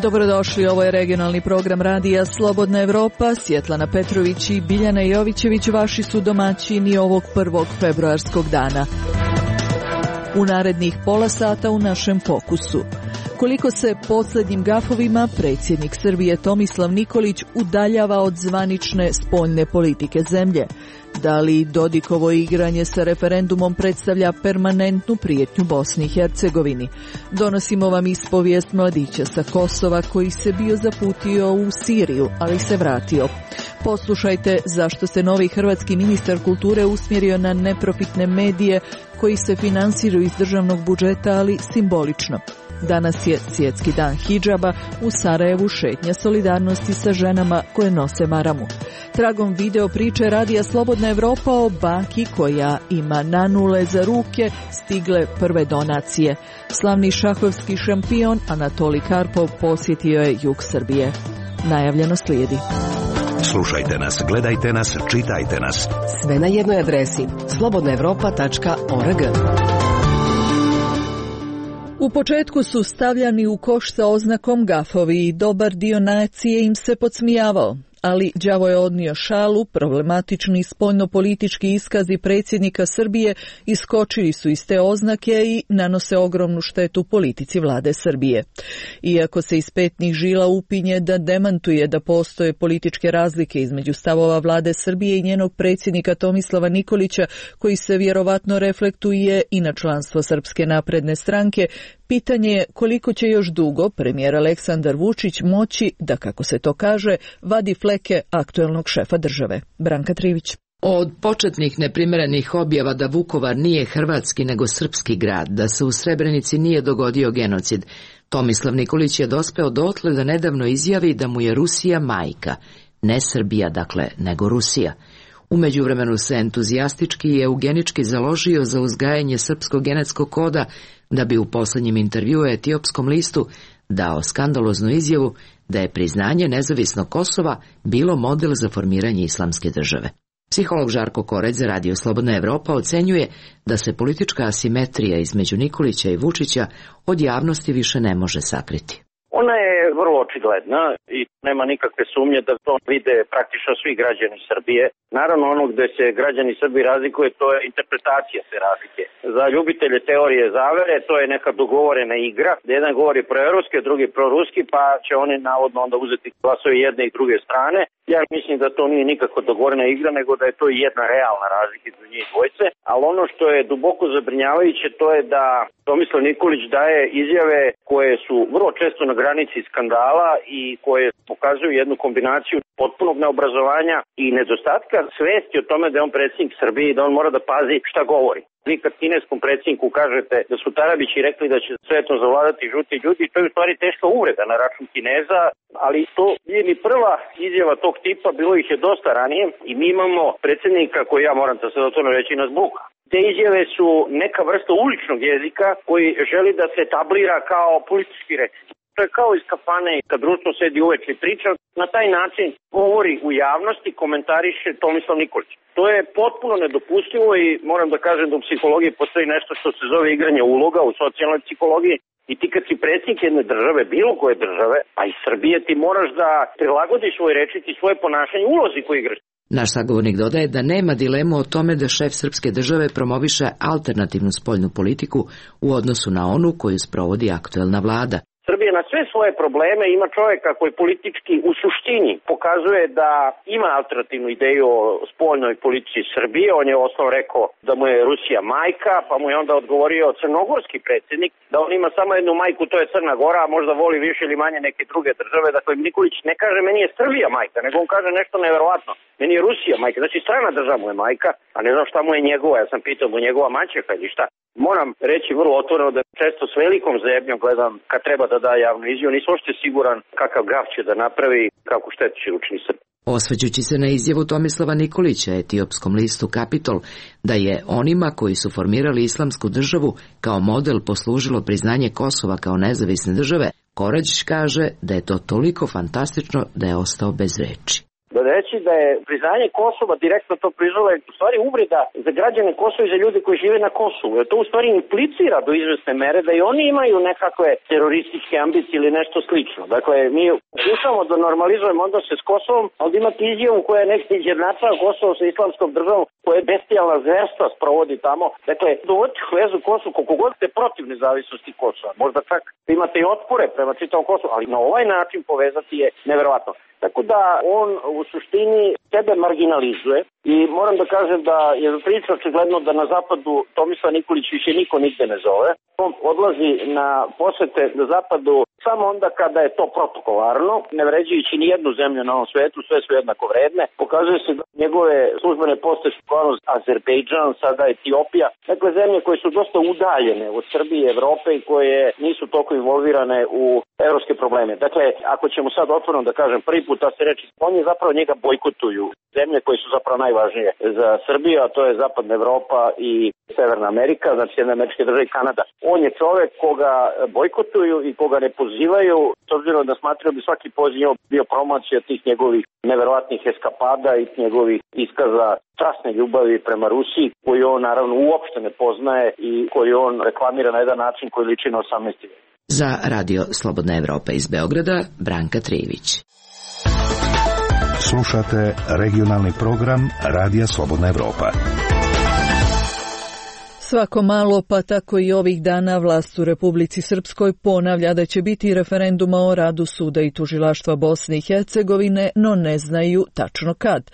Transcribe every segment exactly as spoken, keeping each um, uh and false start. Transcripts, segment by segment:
Dobrodošli, ovo je regionalni program radija Slobodna Evropa. Svjetlana Petrović i Biljana Jovićević vaši su domaćini ovog prvog februarskog dana. U narednih pola sata u našem fokusu. Koliko se posljednjim gafovima predsjednik Srbije Tomislav Nikolić udaljava od zvanične spoljne politike zemlje? Da li Dodikovo igranje sa referendumom predstavlja permanentnu prijetnju Bosni i Hercegovini? Donosimo vam ispovijest mladića sa Kosova koji se bio zaputio u Siriju, ali se vratio. Poslušajte zašto se novi hrvatski ministar kulture usmjerio na neprofitne medije koji se finansiraju iz državnog budžeta, ali simbolično. Danas je svjetski dan hidžaba, u Sarajevu šetnja solidarnosti sa ženama koje nose maramu. Tragom video priče radija Slobodna Evropa o baki koja ima nanule za ruke stigle prve donacije. Slavni šahovski šampion Anatolij Karpov posjetio je jug Srbije. Najavljeno slijedi. Slušajte nas, gledajte nas, čitajte nas. Sve na jednoj adresi slobodna evropa tačka org. U početku su stavljani u koš sa oznakom gafovi i dobar dio nacije im se podsmijavao. Ali đavo je odnio šalu, problematični spoljnopolitički iskazi predsjednika Srbije iskočili su iz te oznake i nanose ogromnu štetu politici vlade Srbije. Iako se iz petnih žila upinje da demantuje da postoje političke razlike između stavova vlade Srbije i njenog predsjednika Tomislava Nikolića, koji se vjerovatno reflektuje i na članstvo Srpske napredne stranke, pitanje je koliko će još dugo premijer Aleksandar Vučić moći da, kako se to kaže, vadi fleke aktuelnog šefa države. Branka Trivić. Od početnih neprimjerenih objava da Vukovar nije hrvatski nego srpski grad, da se u Srebrenici nije dogodio genocid, Tomislav Nikolić je dospeo dotle da nedavno izjavi da mu je Rusija majka. Ne Srbija, dakle, nego Rusija. U međuvremenu se entuzijastički i eugenički založio za uzgajanje srpskog genetskog koda, da bi u posljednjem intervjuu Etiopskom listu dao skandaloznu izjavu da je priznanje nezavisnog Kosova bilo model za formiranje islamske države. Psiholog Žarko Koreć za Radio Slobodna Evropa ocenjuje da se politička asimetrija između Nikolića i Vučića od javnosti više ne može sakriti. Ona je vrlo očigledna i nema nikakve sumnje da to vide praktično svi građani Srbije. Naravno, ono gde se građani Srbije razlikuje, to je interpretacija te razlike. Za ljubitelje teorije zavere to je neka dogovorena igra, gde jedan govori proevropski, drugi proruski, pa će oni navodno onda uzeti glasove jedne i druge strane. Ja mislim da to nije nikako dogovorena igra, nego da je to jedna realna razlika između njih dvojce. Ali ono što je duboko zabrinjavajuće, to je da Tomislav Nikolić daje izjave koje su vrlo često na granici skandala i koje pokazuju jednu kombinaciju potpunog neobrazovanja i nedostatka svesti o tome da je on predsjednik Srbije i da on mora da pazi šta govori. Vi kad kineskom predsjedniku kažete da su Tarabići rekli da će svetom zavladati žuti ljudi, to je u stvari teška uvreda na račun Kineza, ali to nije ni prva izjava tog tipa, bilo ih je dosta ranije i mi imamo predsjednika koji, ja moram to sad otvoreno reći, nas buka. Te izjave su neka vrsta uličnog jezika koji želi da se etablira kao politički rečnik. To je kao iz kafane kad društvo sedi uveče i priča, na taj način govori u javnosti, komentariše Tomislav Nikolić. To je potpuno nedopustivo i moram da kažem da u psihologiji postoji nešto što se zove igranje uloga u socijalnoj psihologiji. I ti kad si predsjednik jedne države, bilo koje države, a i Srbije, ti moraš da prilagodiš svoj rečnik i svoje ponašanje ulozi koju igraš. Naš sagovornik dodaje da nema dilemu o tome da šef srpske države promoviše alternativnu spoljnu politiku u odnosu na onu koju sprovodi aktuelna vlada. Srbija na sve svoje probleme ima čovjeka koji politički u suštini pokazuje da ima alternativnu ideju o spoljnoj politici Srbije. On je osnovno rekao da mu je Rusija majka, pa mu je onda odgovorio crnogorski predsjednik da on ima samo jednu majku, to je Crna Gora, a možda voli više ili manje neke druge države. Dakle, Nikolić ne kaže meni je Srbija majka, nego on kaže nešto neverovatno. Meni je Rusija majka, znači strana država mu je majka, a ne znam šta mu je njegova, ja sam pitao mu njegova maćeha ili šta. Moram reći vrlo otvoreno da često s velikom zebnjom gledam kad treba da da javnu izjavu, nisam uopšte siguran kakav gaf će da napravi, kako štetu će učini Srbiji. Osvećući se na izjavu Tomislava Nikolića etiopskom listu Kapitol da je onima koji su formirali islamsku državu kao model poslužilo priznanje Kosova kao nezavisne države, Korađić kaže da je to toliko fantastično da je ostao bez reči. da reći da je priznanje Kosova, direktno to priznalo, je u stvari uvreda za građane Kosova i za ljude koji žive na Kosovu. To u stvari implicira do izvesne mere da i oni imaju nekakve terorističke ambicije ili nešto slično. Dakle, mi pokušamo da normalizujemo odnose s Kosovom, ali da imate izjavu koja je neki izjednačava Kosovo sa islamskom državom, koja je bestijalna zverstva sprovodi tamo. Dakle, dovoditi u vezu Kosovo, koliko god ste protiv nezavisnosti Kosova. Možda čak imate i otpore prema čitavom Kosovu, ali na ovaj način povezati je neverovatno. Tako da on u suštini sebe marginalizuje i moram da kažem da je priča očigledno da na zapadu Tomislav Nikolić više niko nigde ne zove. On odlazi na posete na zapadu samo onda kada je to protokolarno, ne vređajući ni jednu zemlju na ovom svetu, sve su jednako vredne. Pokazuje se da njegove službene poste su Azerbejdžan, sada Etiopija, dakle zemlje koje su dosta udaljene od Srbije i Evrope i koje nisu toliko involvirane u evropske probleme. Dakle, ako ćemo sad otvoreno da kažem prvi put da se reči, oni zapravo njega bojkotuju. Zemlje koje su zapravo najvažnije za Srbiju, a to je Zapadna Evropa i Severna Amerika, znači Sjedinjene Američke Države i Kanada. On je čovek koga bojkotuju i koga ne pozivaju, s obzirom da smatraju bi svaki poziv bio promocija tih njegovih neverovatnih eskapada i njegovih iskaza strasne ljubavi prema Rusiji, koju on naravno uopšte ne poznaje i koju on reklamira na jedan način koji liči na osamnaesti vek. Za Radio Slobodna Evropa iz Beograda, Branka Trijević. Slušate regionalni program Radija Slobodna Evropa. Svako malo, pa tako i ovih dana, vlast u Republici Srpskoj ponavlja da će biti referenduma o radu suda i tužilaštva Bosne i Hercegovine, no ne znaju tačno kad.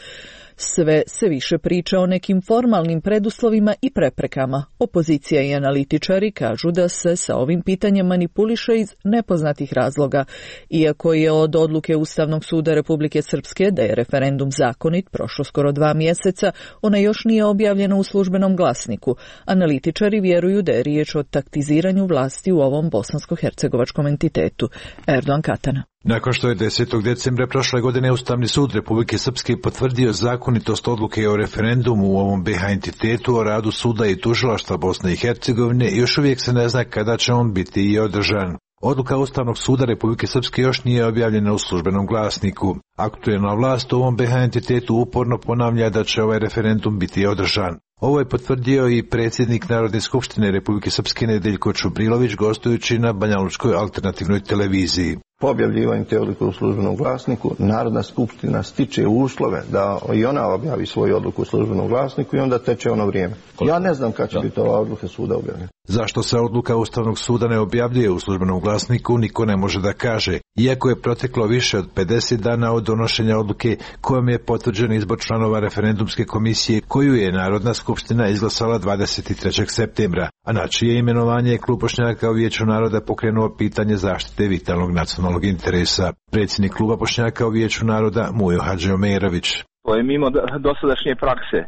Sve se više priča o nekim formalnim preduslovima i preprekama. Opozicija i analitičari kažu da se sa ovim pitanjem manipuliše iz nepoznatih razloga. Iako je od odluke Ustavnog suda Republike Srpske da je referendum zakonit prošlo skoro dva mjeseca, ona još nije objavljena u službenom glasniku. Analitičari vjeruju da je riječ o taktiziranju vlasti u ovom bosansko-hercegovačkom entitetu. Erdogan Katana. Nakon što je desetog decembra prošle godine Ustavni sud Republike Srpske potvrdio zakonitost odluke o referendumu u ovom B H entitetu o radu suda i tužilaštva Bosne i Hercegovine, još uvijek se ne zna kada će on biti i održan. Odluka Ustavnog suda Republike Srpske još nije objavljena u službenom glasniku. Aktuelna vlast u ovom B H entitetu uporno ponavlja da će ovaj referendum biti održan. Ovo je potvrdio i predsjednik Narodne skupštine Republike Srpske Nedeljko Čubrilović gostujući na Banjalučkoj alternativnoj televiziji. Po objavljivanju te odluke u službenom glasniku, Narodna skupština stiče uslove da i ona objavi svoju odluku u službenom glasniku i onda teče ono vrijeme. Ja ne znam kad će da. biti ova odluka suda objavljena. Zašto se odluka Ustavnog suda ne objavljuje u službenom glasniku, niko ne može da kaže. Iako je proteklo više od pedeset dana od donošenja odluke kojom je potvrđen izbor članova referendumske komisije koju je Narodna skupština izglasala dvadeset trećeg septembra, a na čije imenovanje je Klub Bošnjaka u Vijeću naroda pokrenuo pitanje zaštite vitalnog nacionalnog interesa. Predsjednik Kluba Bošnjaka u Vijeću naroda Mujo Hadžiomerović. To je mimo dosadašnje prakse.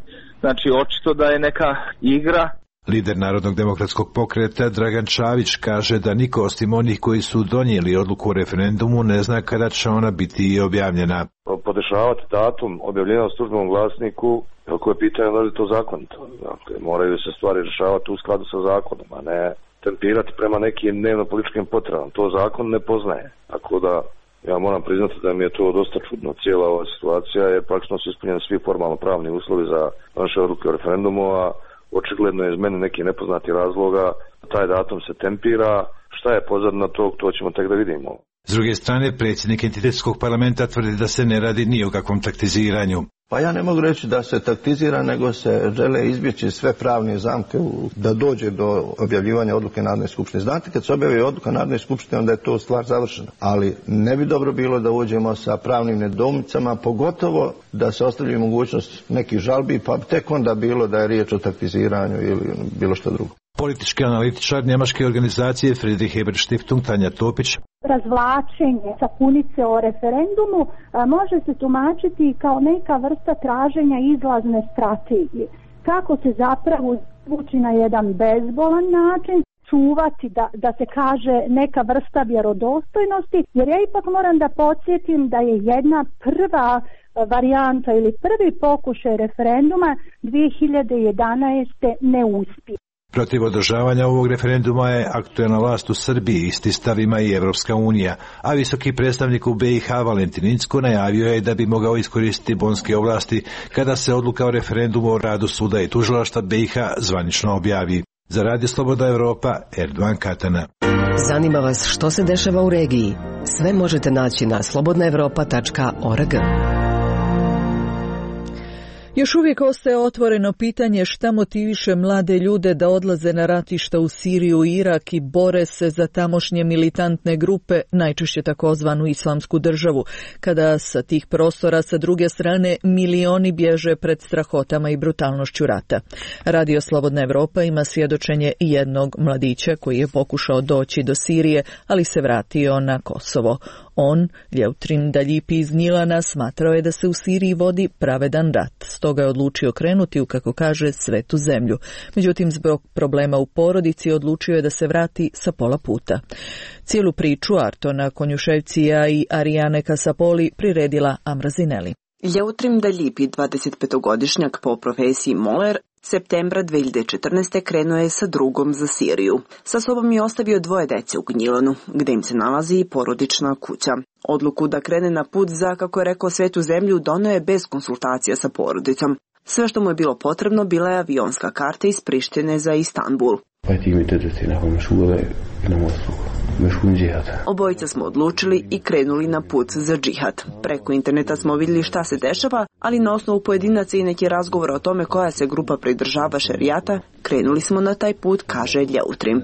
Znači, očito da je neka igra. Lider Narodnog demokratskog pokreta Dragan Čavić kaže da niko osim onih koji su donijeli odluku o referendumu ne zna kada će ona biti i objavljena. Podešavati datum objavljenja u službenom glasniku, ako je pitanje da li je to zakonito. Dakle, moraju se stvari rješavati u skladu sa zakonom, a ne tempirati prema nekim dnevno-političkim potrebama. To zakon ne poznaje. Tako da ja moram priznati da mi je to dosta čudno. Cijela ova situacija je praktično su ispunjeni svi formalno pravni uslovi za naše odluke o referendumu, a očigledno je iz mene neki nepoznati razloga. Taj datum se tempira. Šta je pozadina tog, to ćemo tek da vidimo. S druge strane, predsjednik entitetskog parlamenta tvrdi da se ne radi ni o kakvom taktiziranju. Pa ja ne mogu reći da se taktizira, nego se žele izbjeći sve pravne zamke u, da dođe do objavljivanja odluke Narodne skupštine. Znate, kad se objavi odluka Narodne skupštine, onda je to stvar završena. Ali ne bi dobro bilo da uđemo sa pravnim nedoumicama, pogotovo da se ostavlja mogućnost nekih žalbi, pa tek onda bilo da je riječ o taktiziranju ili bilo što drugo. Politički analitičar njemačke organizacije Friedrich Ebert Stiftung Tanja Topić. Razvlačenje sapunice o referendumu a, može se tumačiti kao neka vrsta traženja izlazne strategije. Kako se zapravo izvući na jedan bezbolan način, čuvati da, da se kaže neka vrsta vjerodostojnosti, jer ja ipak moram da podsjetim da je jedna prva varijanta ili prvi pokušaj referenduma dvije hiljade jedanaeste neuspio. Protiv održavanja ovog referenduma je aktuelna vlast u Srbiji, isti stav ima i Evropska unija, a visoki predstavnik u B i H Valentin Incko najavio je da bi mogao iskoristiti bonske ovlasti kada se odluka o referendumu o radu suda i tužilaštva B i H zvanično objavi. Za Radio Slobodna Evropa, Erdogan Katana. Zanima vas što se dešava u regiji? Sve možete naći na slobodna evropa tačka org. Još uvijek ostaje otvoreno pitanje šta motiviše mlade ljude da odlaze na ratišta u Siriju i Irak i bore se za tamošnje militantne grupe, najčešće takozvanu islamsku državu, kada sa tih prostora sa druge strane milioni bježe pred strahotama i brutalnošću rata. Radio Slobodna Evropa ima svjedočenje jednog mladića koji je pokušao doći do Sirije, ali se vratio na Kosovo. On, Ljeutrin Daljipi iz Gnjilana, smatrao je da se u Siriji vodi pravedan rat, stoga je odlučio krenuti u, kako kaže, svetu zemlju. Međutim, zbog problema u porodici odlučio je da se vrati sa pola puta. Cijelu priču Artona Konjuševcija i Arijane Kasapoli priredila Amra Zineli. Ljeutrin Daljipi, dvadesetpetogodišnjak po profesiji moler, septembra dve hiljade četrnaeste. krenuo je sa drugom za Siriju. Sa sobom je ostavio dvoje dece u Gnjilanu, gde im se nalazi i porodična kuća. Odluku da krene na put za, kako je rekao, svetu zemlju doneo je bez konsultacija sa porodicom. Sve što mu je bilo potrebno bila je avionska karta iz Prištine za Istanbul. Obojica smo odlučili i krenuli na put za džihad. Preko interneta smo vidjeli šta se dešava, ali na osnovu pojedinaca i neki razgovora o tome koja se grupa pridržava šerijata, krenuli smo na taj put, kaže Ljeutrin.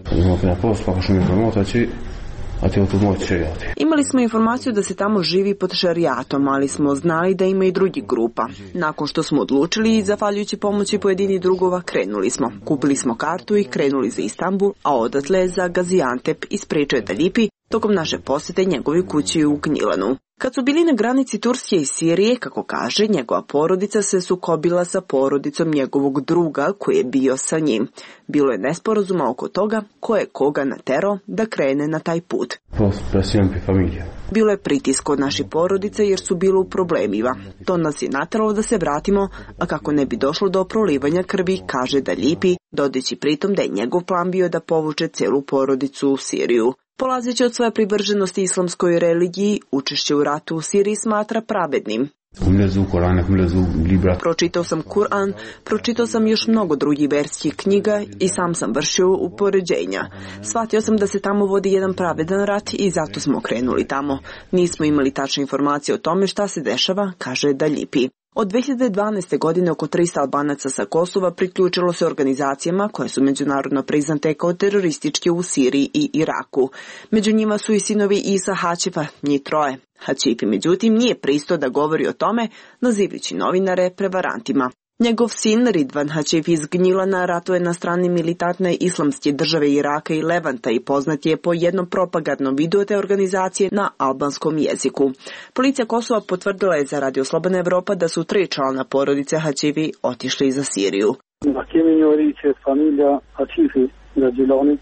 Imali smo informaciju da se tamo živi pod šerijatom, ali smo znali da ima i drugih grupa. Nakon što smo odlučili i zahvaljujući pomoći pojedini drugova, krenuli smo. Kupili smo kartu i krenuli za Istanbul, a odatle za Gaziantep, ispričao je Daljipi tokom naše posjete njegovi kući u Gnjilanu. Kad su bili na granici Turske i Sirije, kako kaže, njegova porodica se sukobila sa porodicom njegovog druga koji je bio sa njim. Bilo je nesporazuma oko toga ko je koga naterao da krene na taj put. Bilo je pritisk od naše porodice jer su bilo u problemima. To nas je nateralo da se vratimo, a kako ne bi došlo do prolivanja krvi, kaže Daljipi, dodajući pritom da je njegov plan bio da povuče celu porodicu u Siriju. Polazeći od svoje privrženosti islamskoj religiji, učešće u ratu u Siriji smatra pravednim. Pročitao sam Kur'an, pročitao sam još mnogo drugih verskih knjiga i sam sam vršio upoređenja. Shvatio sam da se tamo vodi jedan pravedan rat i zato smo krenuli tamo. Nismo imali tačne informacije o tome šta se dešava, kaže Daljipi. Od dve hiljade dvanaeste. godine oko trista Albanaca sa Kosova priključilo se organizacijama koje su međunarodno priznate kao terorističke u Siriji i Iraku. Među njima su i sinovi Isa Hačifa, njih troje. Hačipi, međutim, nije pristao da govori o tome, nazivajući novinare prevarantima. Njegov sin Ridvan Hačif iz Gnjilana ratuje na strani militantne islamske države Iraka i Levanta i poznat je po jednom propagandnom videu te organizacije na albanskom jeziku. Policija Kosova potvrdila je za Radio Slobodna Evropa da su tri člana porodice Hačivi otišli za Siriju.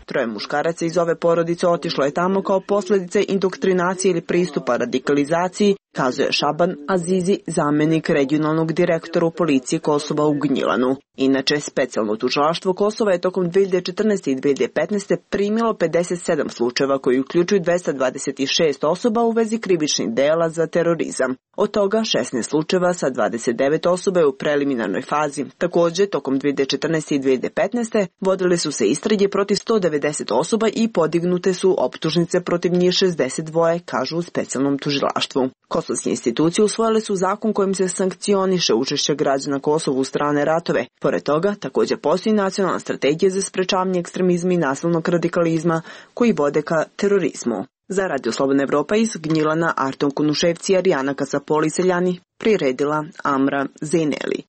Troje muškaraca iz ove porodice otišlo je tamo kao posljedice indoktrinacije ili pristupa radikalizaciji, kazuje Šaban Azizi, zamjenik regionalnog direktora u policiji Kosova u Gnjilanu. Inače, specijalno tužilaštvo Kosova je tokom dve hiljade četrnaeste. i dve hiljade petnaeste. primilo pedeset sedam slučajeva koji uključuju dvesta dvadeset šest osoba u vezi krivičnih dela za terorizam. Od toga šesnaest slučajeva sa dvadeset devet osoba je u preliminarnoj fazi. Također, tokom dve hiljade četrnaeste. i dve hiljade petnaeste. vodile su se istrage protiv sto devedeset osoba i podignute su optužnice protiv njih šezdeset dva, kažu u specijalnom tužilaštvu. Kosovske institucije usvojile su zakon kojim se sankcioniše učešće građana Kosova u strane ratove. Pored toga, također postoji nacionalna strategija za sprečavanje ekstremizma i nasilnog radikalizma koji vode ka terorizmu. Za Radio Slobodna Evropa iz Gnjilana, Arton Kunuševci i Arijana Kasapoli Seljani priredila Amra Zineli.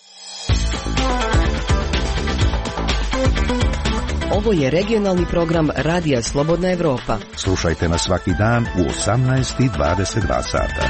Ovo je regionalni program Radija Slobodna Evropa. Slušajte nas svaki dan u osamnaest i dvadeset dva sata.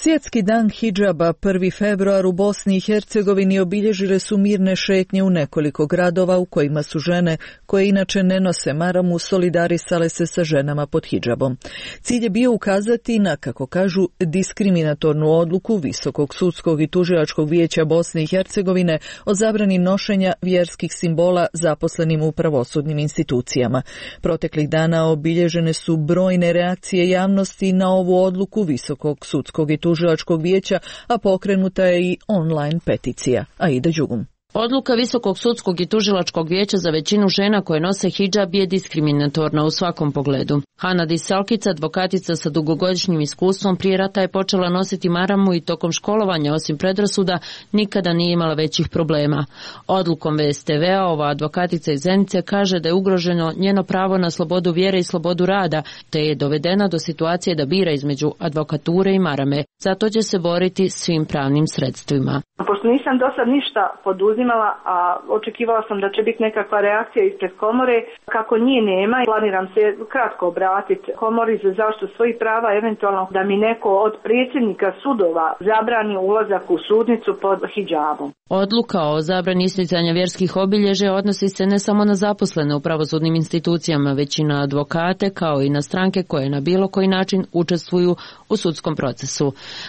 Svjetski dan hidžaba prvi februar u Bosni i Hercegovini obilježile su mirne šetnje u nekoliko gradova u kojima su žene koje inače ne nose maramu solidarisale se sa ženama pod hidžabom. Cilj je bio ukazati na, kako kažu, diskriminatornu odluku Visokog sudskog i tužilačkog vijeća Bosne i Hercegovine o zabrani nošenja vjerskih simbola zaposlenim u pravosudnim institucijama. Proteklih dana obilježene su brojne reakcije javnosti na ovu odluku Visokog sudskog i tužilačkog vijeća, a pokrenuta je i online peticija. Aida Đugum. Odluka Visokog sudskog i tužilačkog vijeća za većinu žena koje nose hidžab je diskriminatorna u svakom pogledu. Hanadi Salkica, advokatica sa dugogodišnjim iskustvom, prije rata je počela nositi maramu i tokom školovanja, osim predrasuda, nikada nije imala većih problema. Odlukom V S T V-a ova advokatica iz Zenice kaže da je ugroženo njeno pravo na slobodu vjere i slobodu rada, te je dovedena do situacije da bira između advokature i marame. Zato će se boriti svim pravnim sredstvima. Pošto nisam do sad ništa poduzimala, a očekivala sam da će biti nekakva reakcija ispred komore, kako njih nema, planiram se kratko obratiti komori za zaštitu svojih prava, eventualno da mi neko od predsjednika sudova zabrani ulazak u sudnicu pod hidžabom. Odluka o zabrani isticanja vjerskih obilježja odnosi se ne samo na zaposlene u pravosudnim institucijama, već i na advokate, kao i na stranke koje na bilo koji način učestvuju u sudskom procesu.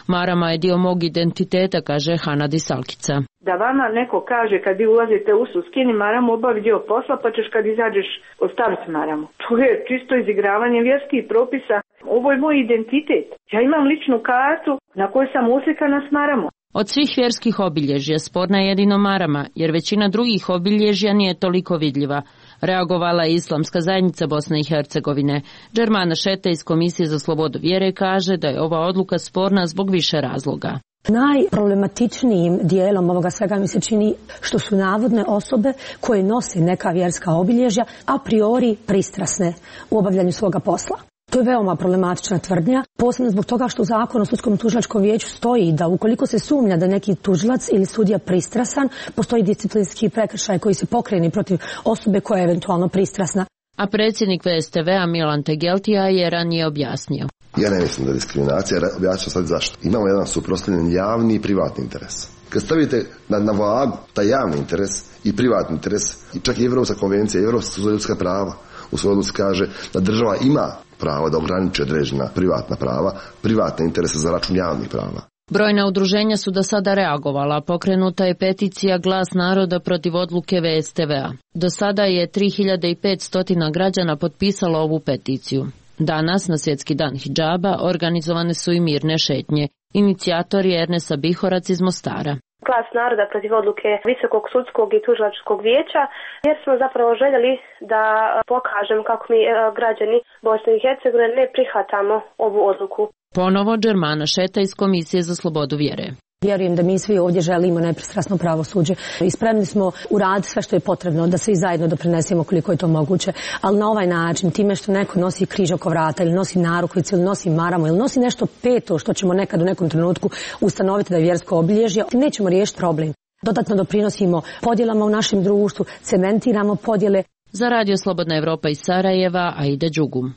Marama je dio mog identiteta, kaže Hanadi Salkica. Da vama neko kaže kad vi ulazite u sud, skini maramu, obavi dio posla, pa ćeš kad izađeš ostaviti maramu. To je čisto izigravanje vjerskih propisa. Ovo je moj identitet. Ja imam ličnu kartu na kojoj sam uslikana s maramom. Od svih vjerskih obilježja sporna je jedino marama, jer većina drugih obilježja nije toliko vidljiva. Reagovala je Islamska zajednica Bosne i Hercegovine. Džermana Šeta iz Komisije za slobodu vjere kaže da je ova odluka sporna zbog više razloga. Najproblematičnijim dijelom ovoga svega mi se čini što su navodne osobe koje nose neka vjerska obilježja a priori pristrasne u obavljanju svoga posla. To je veoma problematična tvrdnja, posebno zbog toga što u Zakonu o sudskom tužilačkom vijeću stoji da ukoliko se sumnja da neki tužilac ili sudija pristrasan, postoji disciplinski prekršaj koji se pokrene protiv osobe koja je eventualno pristrasna. A predsjednik V S T V-a Milan Tegeltija je ranije objasnio. Ja ne mislim da je diskriminacija, objasnit sad zašto. Imamo jedan suprotstavljen javni i privatni interes. Kad stavite na, na vagu taj javni interes i privatni interes, i čak i Evropska konvencija, Evropska sud za ljudska prava, u svojoj odluci kaže da država ima pravo da ograniči određena privatna prava, privatne interese za račun javnih prava. Brojna udruženja su do sada reagovala, pokrenuta je peticija Glas naroda protiv odluke V S T V-a. Do sada je tri hiljade petsto građana potpisalo ovu peticiju. Danas, na Svjetski dan hidžaba, organizovane su i mirne šetnje. Inicijator je Ernesa Bihorac iz Mostara. Glas naroda protiv odluke Visokog sudskog i tužilačkog vijeća, jer smo zapravo željeli da pokažemo kako mi građani Bosne i Hercegovine ne prihvatamo ovu odluku. Ponovo Džermana Šeta iz Komisije za slobodu vjere. Vjerujem da mi svi ovdje želimo nepristrasno pravosuđe i spremni smo uraditi sve što je potrebno da svi zajedno doprinesemo koliko je to moguće, ali na ovaj način, time što neko nosi križ oko vrata ili nosi narukvicu ili nosi maramu ili nosi nešto peto što ćemo nekad u nekom trenutku ustanoviti da je vjersko obilježje, nećemo riješiti problem. Dodatno doprinosimo podjelama u našem društvu, cementiramo podjele. Za Radio Slobodna Evropa iz Sarajeva, Aida Đugum.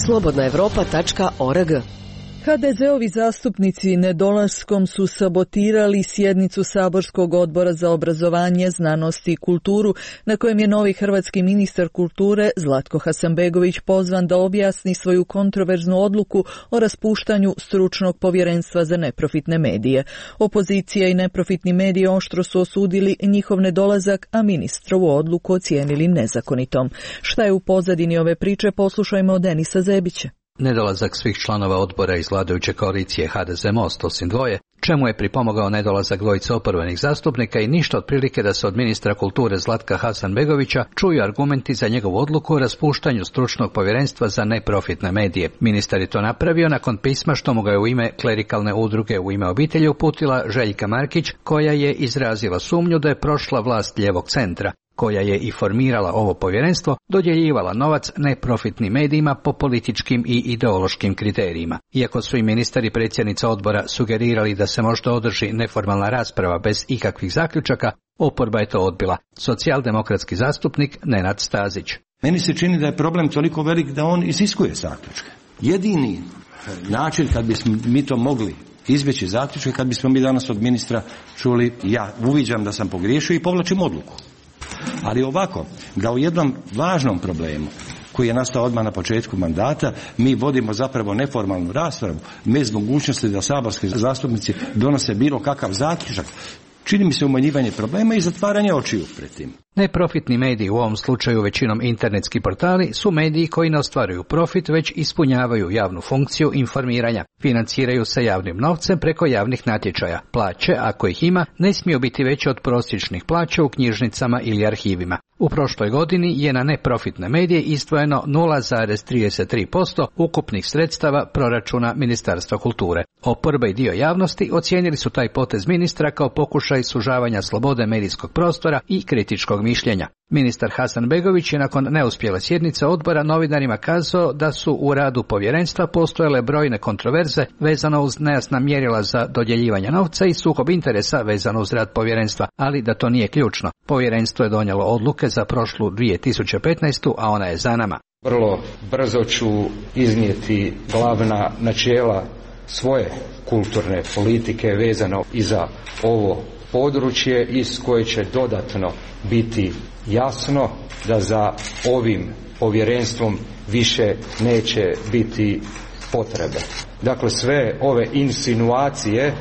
slobodna evropa tačka org. ha de ze-ovi zastupnici nedolaskom su sabotirali sjednicu Saborskog odbora za obrazovanje, znanost i kulturu, na kojem je novi hrvatski ministar kulture Zlatko Hasanbegović pozvan da objasni svoju kontroverznu odluku o raspuštanju stručnog povjerenstva za neprofitne medije. Opozicija i neprofitni mediji oštro su osudili njihov nedolazak, a ministrovu odluku ocijenili nezakonitom. Šta je u pozadini ove priče, poslušajmo od Denisa Zebića. Nedolazak svih članova odbora iz vladajuće koalicije ha de ze Most, osim dvoje, čemu je pripomogao nedolazak dvojice oporbenih zastupnika i ništa otprilike da se od ministra kulture Zlatka Hasanbegovića čuju argumenti za njegovu odluku o raspuštanju stručnog povjerenstva za neprofitne medije. Ministar je to napravio nakon pisma što mu ga je u ime klerikalne udruge U ime obitelji uputila Željka Markić, koja je izrazila sumnju da je prošla vlast lijevog centra, koja je i formirala ovo povjerenstvo, dodjeljivala novac neprofitnim medijima po političkim i ideološkim kriterijima. Iako su i ministar i predsjednica odbora sugerirali da se možda održi neformalna rasprava bez ikakvih zaključaka, oporba je to odbila. Socijaldemokratski zastupnik Nenad Stazić. Meni se čini da je problem toliko velik da on iziskuje zaključke. Jedini način kad bismo mi to mogli izbjeći zaključke, kad bismo mi danas od ministra čuli ja uviđam da sam pogriješio i povlačim odluku. Ali ovako, da u jednom važnom problemu koji je nastao odmah na početku mandata, mi vodimo zapravo neformalnu raspravu bez mogućnosti da saborski zastupnici donose bilo kakav zaključak, čini mi se umanjivanje problema i zatvaranje očiju pred tim. Neprofitni mediji, u ovom slučaju većinom internetski portali, su mediji koji ne ostvaruju profit, već ispunjavaju javnu funkciju informiranja. Financiraju se javnim novcem preko javnih natječaja. Plaće, ako ih ima, ne smiju biti veće od prosječnih plaća u knjižnicama ili arhivima. U prošloj godini je na neprofitne medije izdvojeno nula zarez trideset tri posto ukupnih sredstava proračuna Ministarstva kulture. Oporba i dio javnosti ocijenili su taj potez ministra kao pokušaj sužavanja slobode medijskog prostora i kritičkog mišljenja. Ministar Hasanbegović je nakon neuspjele sjednice odbora novinarima kazao da su u radu povjerenstva postojale brojne kontroverze vezano uz nejasna mjerila za dodjeljivanje novca i sukob interesa vezano uz rad povjerenstva, ali da to nije ključno. Povjerenstvo je donijelo odluke za prošlu dvije tisuće petnaestu. a ona je za nama. Vrlo brzo ću iznijeti glavna načela svoje kulturne politike vezano i za ovo područje iz koje će dodatno biti jasno da za ovim povjerenstvom više neće biti potrebe. Dakle, sve ove insinuacije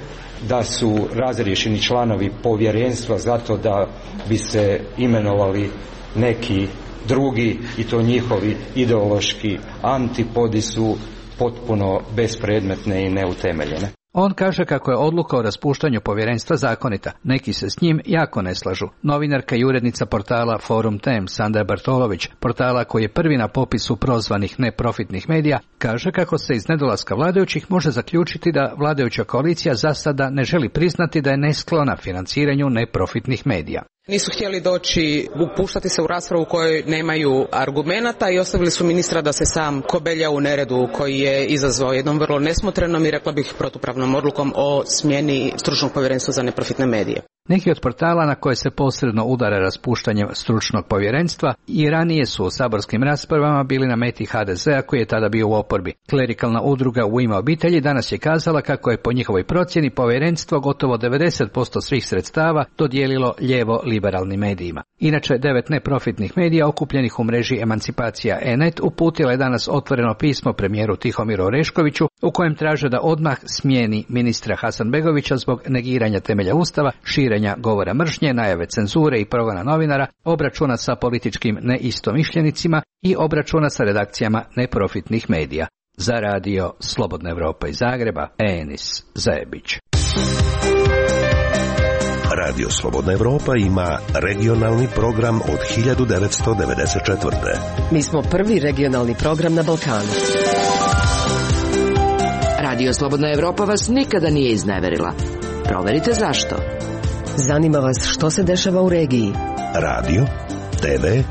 da su razriješeni članovi povjerenstva zato da bi se imenovali neki drugi i to njihovi ideološki antipodi su potpuno bespredmetne i neutemeljene. On kaže kako je odluka o raspuštanju povjerenstva zakonita. Neki se s njim jako ne slažu. Novinarka i urednica portala Forum Tem, Sandra Bartolović, portala koji je prvi na popisu prozvanih neprofitnih medija, kaže kako se iz nedolaska vladajućih može zaključiti da vladajuća koalicija za sada ne želi priznati da je nesklona financiranju neprofitnih medija. Nisu htjeli doći, upuštati se u raspravu u kojoj nemaju argumenata i ostavili su ministra da se sam kobelja u neredu koji je izazvao jednom vrlo nesmotrenom i rekla bih protupravnom odlukom o smjeni stručnog povjerenstva za neprofitne medije. Neki od portala na koje se posredno udara raspuštanjem stručnog povjerenstva i ranije su u saborskim raspravama bili na meti ha de zea koji je tada bio u oporbi. Klerikalna udruga U ime obitelji danas je kazala kako je po njihovoj procjeni povjerenstvo gotovo devedeset posto svih sredstava dodijelilo lijevo liberalnim medijima. Inače, devet neprofitnih medija okupljenih u mreži Emancipacija e net uputila je danas otvoreno pismo premijeru Tihomiru Oreškoviću u kojem traže da odmah smijeni ministra Hasanbegovića zbog negiranja temelja Ustava, širenja govora mržnje, najave cenzure i progona novinara, obračuna sa političkim neistomišljenicima i obračuna sa redakcijama neprofitnih medija. Za radio Slobodna Evropa iz Zagreba, Enis Zajebić. Radio Slobodna Evropa ima regionalni program od hiljadu devetsto devedeset četvrte. Mi smo prvi regionalni program na Balkanu. Radio Slobodna Evropa vas nikada nije izneverila. Proverite zašto. Zanima vas što se dešava u regiji. Radio, te ve,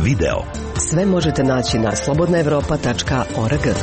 video. Sve možete naći na slobodna evropa tačka org.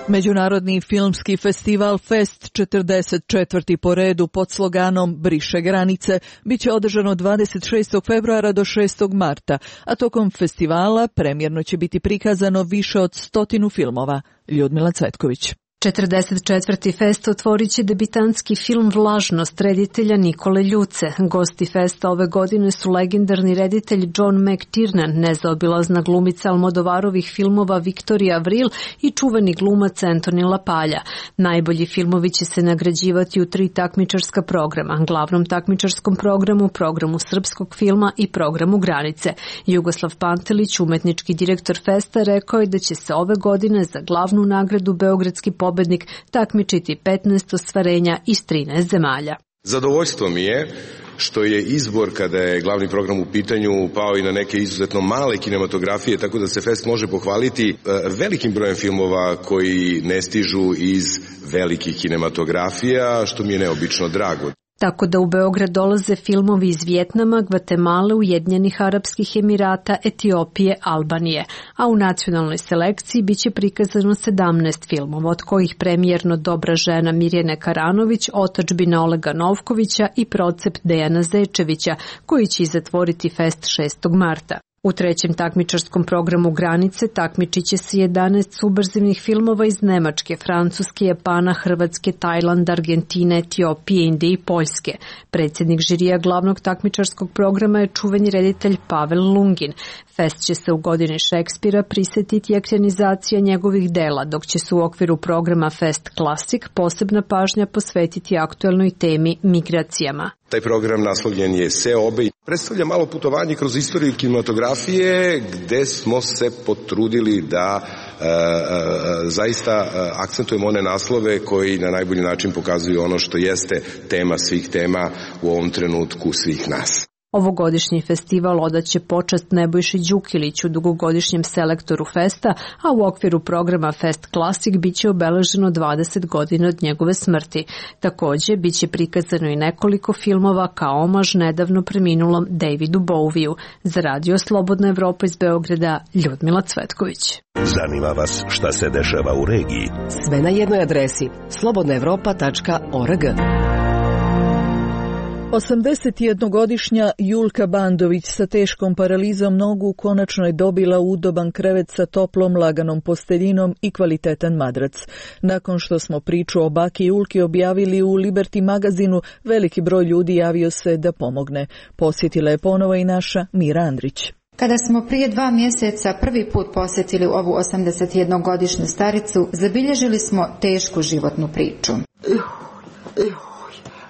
Međunarodni filmski festival Fest četrdeset četvrti po redu pod sloganom Briše granice bit će održano dvadeset šestog februara do šestog marta, a tokom festivala premjerno će biti prikazano više od stotinu filmova. Ljudmila Cvetković. četrdeset četvrti fest otvorit će debitanski film Vlažnost reditelja Nikole Ljuce. Gosti festa ove godine su legendarni reditelj John McTiernan, nezaobilazna glumica Almodovarovih filmova Viktorija Avril i čuveni glumac Anthony LaPaglia. Najbolji filmovi će se nagrađivati u tri takmičarska programa, glavnom takmičarskom programu, programu srpskog filma i programu Granice. Jugoslav Pantelić, umetnički direktor festa, rekao je da će se ove godine za glavnu nagradu Beogradski pobednik takmičiti petnaest ostvarenja iz trinaest zemalja. Zadovoljstvo mi je što je izbor kada je glavni program u pitanju pao i na neke izuzetno male kinematografije, tako da se fest može pohvaliti velikim brojem filmova koji ne stižu iz velikih kinematografija, što mi je neobično drago. Tako da u Beograd dolaze filmovi iz Vijetnama, Gvatemale, Ujedinjenih Arapskih Emirata, Etiopije, Albanije, a u nacionalnoj selekciji biće prikazano sedamnaest filmova, od kojih premijerno Dobra žena Mirjane Karanović, Otadžbina Olega Novkovića i Procept Dejana Zečevića, koji će zatvoriti fest šestog marta. U trećem takmičarskom programu Granice takmičit će se jedanaest subverzivnih filmova iz Nemačke, Francuske, Japana, Hrvatske, Tajlanda, Argentine, Etiopije, Indije i Poljske. Predsjednik žirija glavnog takmičarskog programa je čuveni reditelj Pavel Lungin. Fest će se u godini Šekspira prisjetiti ekranizacija njegovih dela, dok će se u okviru programa Fest Classic posebna pažnja posvetiti aktuelnoj temi migracijama. Taj program naslovljen je Seobe i predstavlja malo putovanje kroz istoriju kinematografije gde smo se potrudili da e, e, zaista e, akcentujemo one naslove koji na najbolji način pokazuju ono što jeste tema svih tema u ovom trenutku svih nas. Ovogodišnji festival odaće počast Nebojši Đukiliću, dugogodišnjem selektoru festa, a u okviru programa Fest Classic biće obeleženo dvadeset godina od njegove smrti. Također, biće prikazano i nekoliko filmova kao omaž nedavno preminulom Davidu Bowieu. Za Radio Slobodna Evropa iz Beograda, Ljudmila Cvetković. Zanima vas šta se dešava u regiji? Sve na jednoj adresi slobodna evropa tačka org. osamdesetjednogodišnja Julka Bandović sa teškom paralizom nogu konačno je dobila udoban krevet sa toplom laganom posteljinom i kvalitetan madrac. Nakon što smo priču o baki Julki objavili u Liberty magazinu, veliki broj ljudi javio se da pomogne. Posjetila je ponovo i naša Mira Andrić. Kada smo prije dva mjeseca prvi put posjetili ovu osamdesetjednogodišnju staricu, zabilježili smo tešku životnu priču.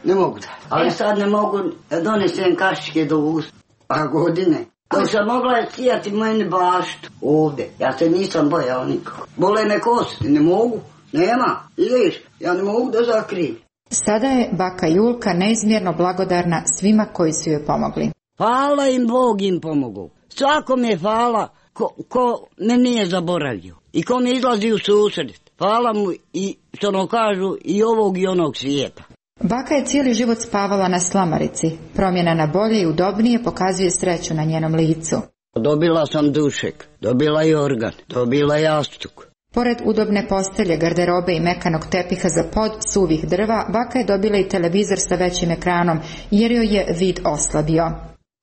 Ne mogu da. Ali sad ne mogu da donesem kašike do usta. Pa godine. Dok sam mogla je sijati meni baštu ovdje. Ja se nisam bojao nikako. Bole me kosti, ne mogu. Nema. Vidiš, ja ne mogu da zakrijem. Sada je baka Julka neizmjerno blagodarna svima koji su joj pomogli. Hvala im, Bog im pomogu. Svakom je hvala ko, ko me nije zaboravio. I ko mi izlazi u susret. Hvala mu i, što ono kažu, i ovog i onog svijeta. Baka je cijeli život spavala na slamarici. Promjena na bolje i udobnije pokazuje sreću na njenom licu. Dobila sam dušek, dobila i organ, dobila jastuk. Pored udobne postelje, garderobe i mekanog tepiha za pod suvih drva, baka je dobila i televizor sa većim ekranom, jer joj je vid oslabio.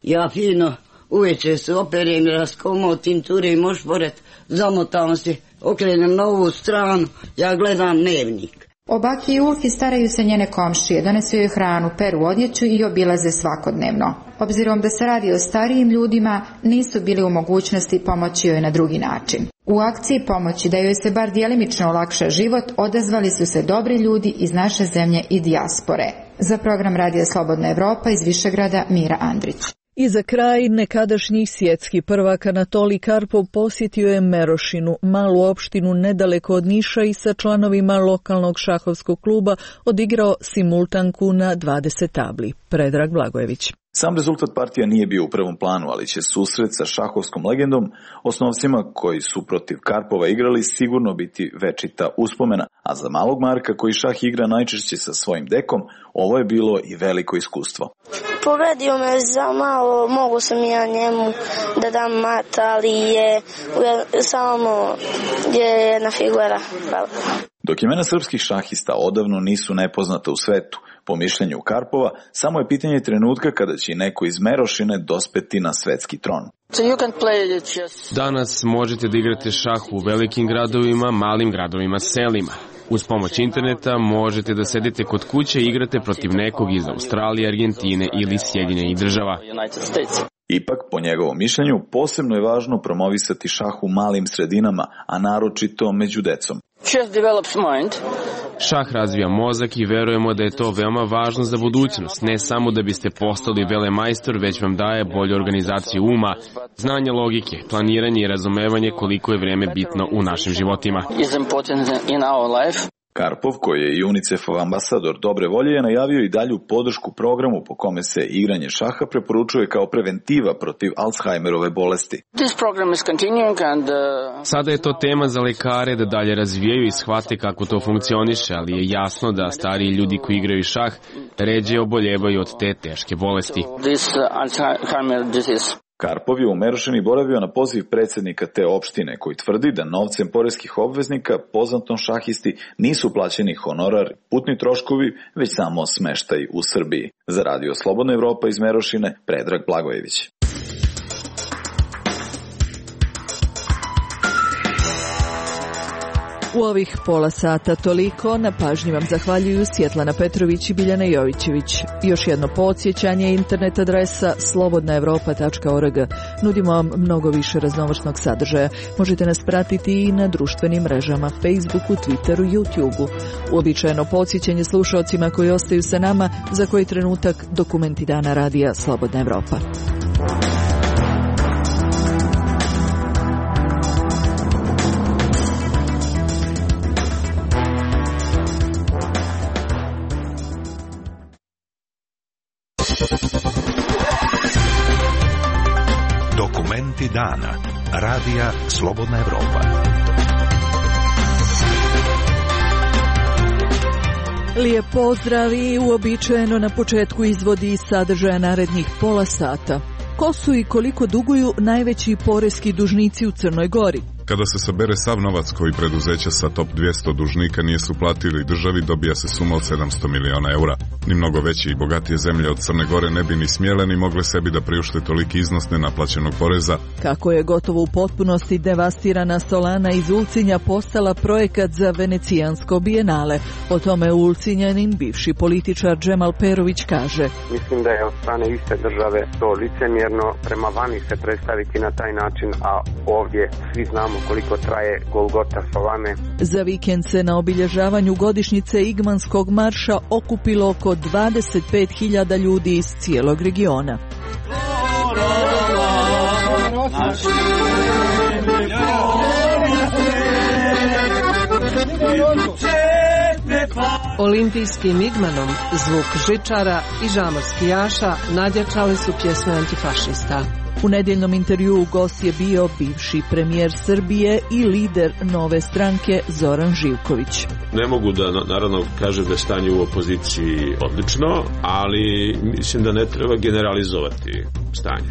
Ja fino uveče se operem, raskomotim, turim ošporet, zamotam se, okrenem na ovu stranu, ja gledam dnevnik. O baki Julki staraju se njene komšije, donesu joj hranu, peru odjeću i obilaze svakodnevno. Obzirom da se radi o starijim ljudima, nisu bili u mogućnosti pomoći joj na drugi način. U akciji pomoći da joj se bar djelimično olakša život, odazvali su se dobri ljudi iz naše zemlje i dijaspore. Za program Radija Slobodna Evropa iz Višegrada, Mira Andrić. I za kraj, nekadašnji svjetski prvak Anatolij Karpov posjetio je Merošinu, malu opštinu nedaleko od Niša, i sa članovima lokalnog šahovskog kluba odigrao simultanku na dvadeset tabli. Predrag Blagojević. Sam rezultat partija nije bio u prvom planu, ali će susret sa šahovskom legendom, osnovcima koji su protiv Karpova igrali, sigurno biti večita uspomena, a za malog Marka koji šah igra najčešće sa svojim dekom, ovo je bilo i veliko iskustvo. Pobedio me za malo, mogu sam ja njemu da dam mat, ali je samo je jedna figura. Hvala. Dok imena srpskih šahista odavno nisu nepoznata u svetu, po mišljenju Karpova, samo je pitanje trenutka kada će neko iz Merošine dospeti na svetski tron. Danas možete da igrate šah u velikim gradovima, malim gradovima, selima. Uz pomoć interneta možete da sedite kod kuće i igrate protiv nekog iz Australije, Argentine ili Sjedinjenih država. Ipak, po njegovom mišljenju, posebno je važno promovisati šah u malim sredinama, a naročito među decom. Šah razvija mozak i verujemo da je to veoma važno za budućnost, ne samo da biste postali velemajstor, već vam daje bolju organizaciju uma, znanje logike, planiranje i razumevanje koliko je vreme bitno u našim životima. Karpov, koji je i UNICEF-ov ambasador dobre volje, je najavio i dalju podršku programu po kome se igranje šaha preporučuje kao preventiva protiv Alzheimerove bolesti. Sada je to tema za lekare da dalje razvijaju i shvate kako to funkcioniše, ali je jasno da stariji ljudi koji igraju šah ređe oboljevaju od te teške bolesti. Karpov je u Merošini boravio na poziv predsjednika te opštine, koji tvrdi da novcem poreskih obveznika poznatom šahisti nisu plaćeni honorar, putni troškovi, već samo smeštaj u Srbiji. Za Radio Slobodna Evropa iz Merošine, Predrag Blagojević. U ovih pola sata toliko, na pažnji vam zahvaljuju Svjetlana Petrović i Biljana Jovićević. Još jedno podsjećanje, internet adresa slobodna evropa tačka org. Nudimo vam mnogo više raznovrsnog sadržaja. Možete nas pratiti i na društvenim mrežama, Facebooku, Twitteru, YouTubeu. Uobičajeno podsjećanje slušaocima koji ostaju sa nama, za koji trenutak dokumenti dana radija Slobodna Evropa. Dokumenti dana. Radija Slobodna Evropa. Lijep pozdrav i uobičajeno na početku izvodi iz sadržaja narednih pola sata. Ko su i koliko duguju najveći poreski dužnici u Crnoj Gori? Kada se sabere sav novac koji preduzeća sa top dvjesto dužnika nisu platili državi, dobija se suma od sedamsto miliona eura. Ni mnogo veće i bogatije zemlje od Crne Gore ne bi ni smjele ni mogle sebi da priušte toliki iznos nenaplaćenog poreza. Kako je gotovo u potpunosti devastirana Solana iz Ulcinja postala projekat za venecijansko bijenale. O tome Ulcinjanin bivši političar Džemal Perović kaže: Mislim da je od strane iste države to licemjerno prema vani se predstaviti na taj način, a ovdje svi znamo koliko traje Golgota Solane. Za vikend se na obilježavanju godišnjice Igmanskog marša okupilo oko dvadeset pet hiljada ljudi iz cijelog regiona. Olimpijskim Igmanom zvuk žičara i žamorski jaša nadjačali su pjesme antifašista. U nedjeljnom intervjuu gost je bio bivši premijer Srbije i lider Nove stranke Zoran Živković. Ne mogu da naravno kažem da je stanje u opoziciji odlično, ali mislim da ne treba generalizovati stanje.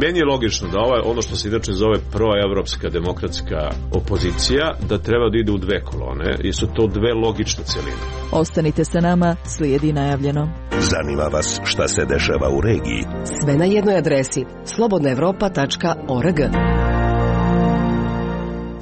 Meni je logično da ovaj, ono što se inače zove proevropska demokratska opozicija, da treba da ide u dve kolone, jer su to dve logične celine. Ostanite sa nama, slijedi najavljeno. Zanima vas šta se dešava u regiji? Sve na jednoj adresi slobodna evropa tačka org.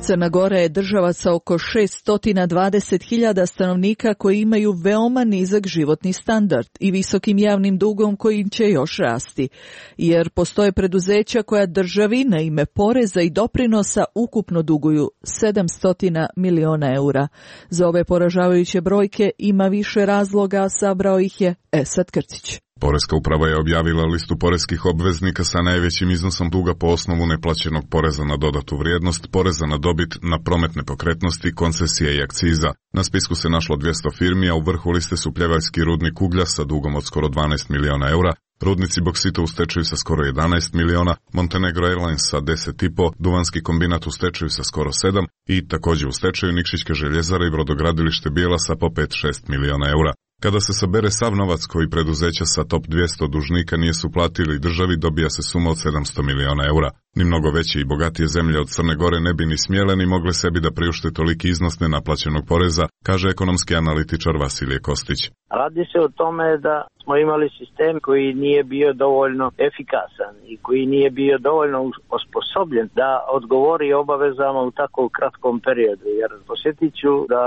Crna Gora je država sa oko šesto dvadeset hiljada stanovnika koji imaju veoma nizak životni standard i visokim javnim dugom koji će još rasti, jer postoje preduzeća koja državi na ime poreza i doprinosa ukupno duguju sedamsto miliona eura. Za ove poražavajuće brojke ima više razloga, sabrao ih je Esad Krcić. Poreska uprava je objavila listu poreskih obveznika sa najvećim iznosom duga po osnovu neplaćenog poreza na dodatu vrijednost, poreza na dobit, na promet nepokretnosti, koncesije i akciza. Na spisku se našlo dvjesto firmi, a u vrhu liste su pljevaljski rudnik uglja sa dugom od skoro dvanaest miliona eura, rudnici boksita u stečaju sa skoro jedanaest miliona, Montenegro Airlines sa deset i po, duvanski kombinat u stečaju sa skoro sedam i također u stečaju Nikšićka željezara i brodogradilište Bijela sa po pet do šest miliona eura. Kada se sabere sav novac koji preduzeća sa top dvjesto dužnika nisu platili državi, dobija se suma od sedamsto miliona eura. Ni mnogo veće i bogatije zemlje od Crne Gore ne bi ni smjele ni mogle sebi da priušte toliki iznos nenaplaćenog poreza, kaže ekonomski analitičar Vasilije Kostić. Radi se o tome da smo imali sistem koji nije bio dovoljno efikasan i koji nije bio dovoljno osposobljen da odgovori obavezama u tako kratkom periodu. Jer posjetit ću da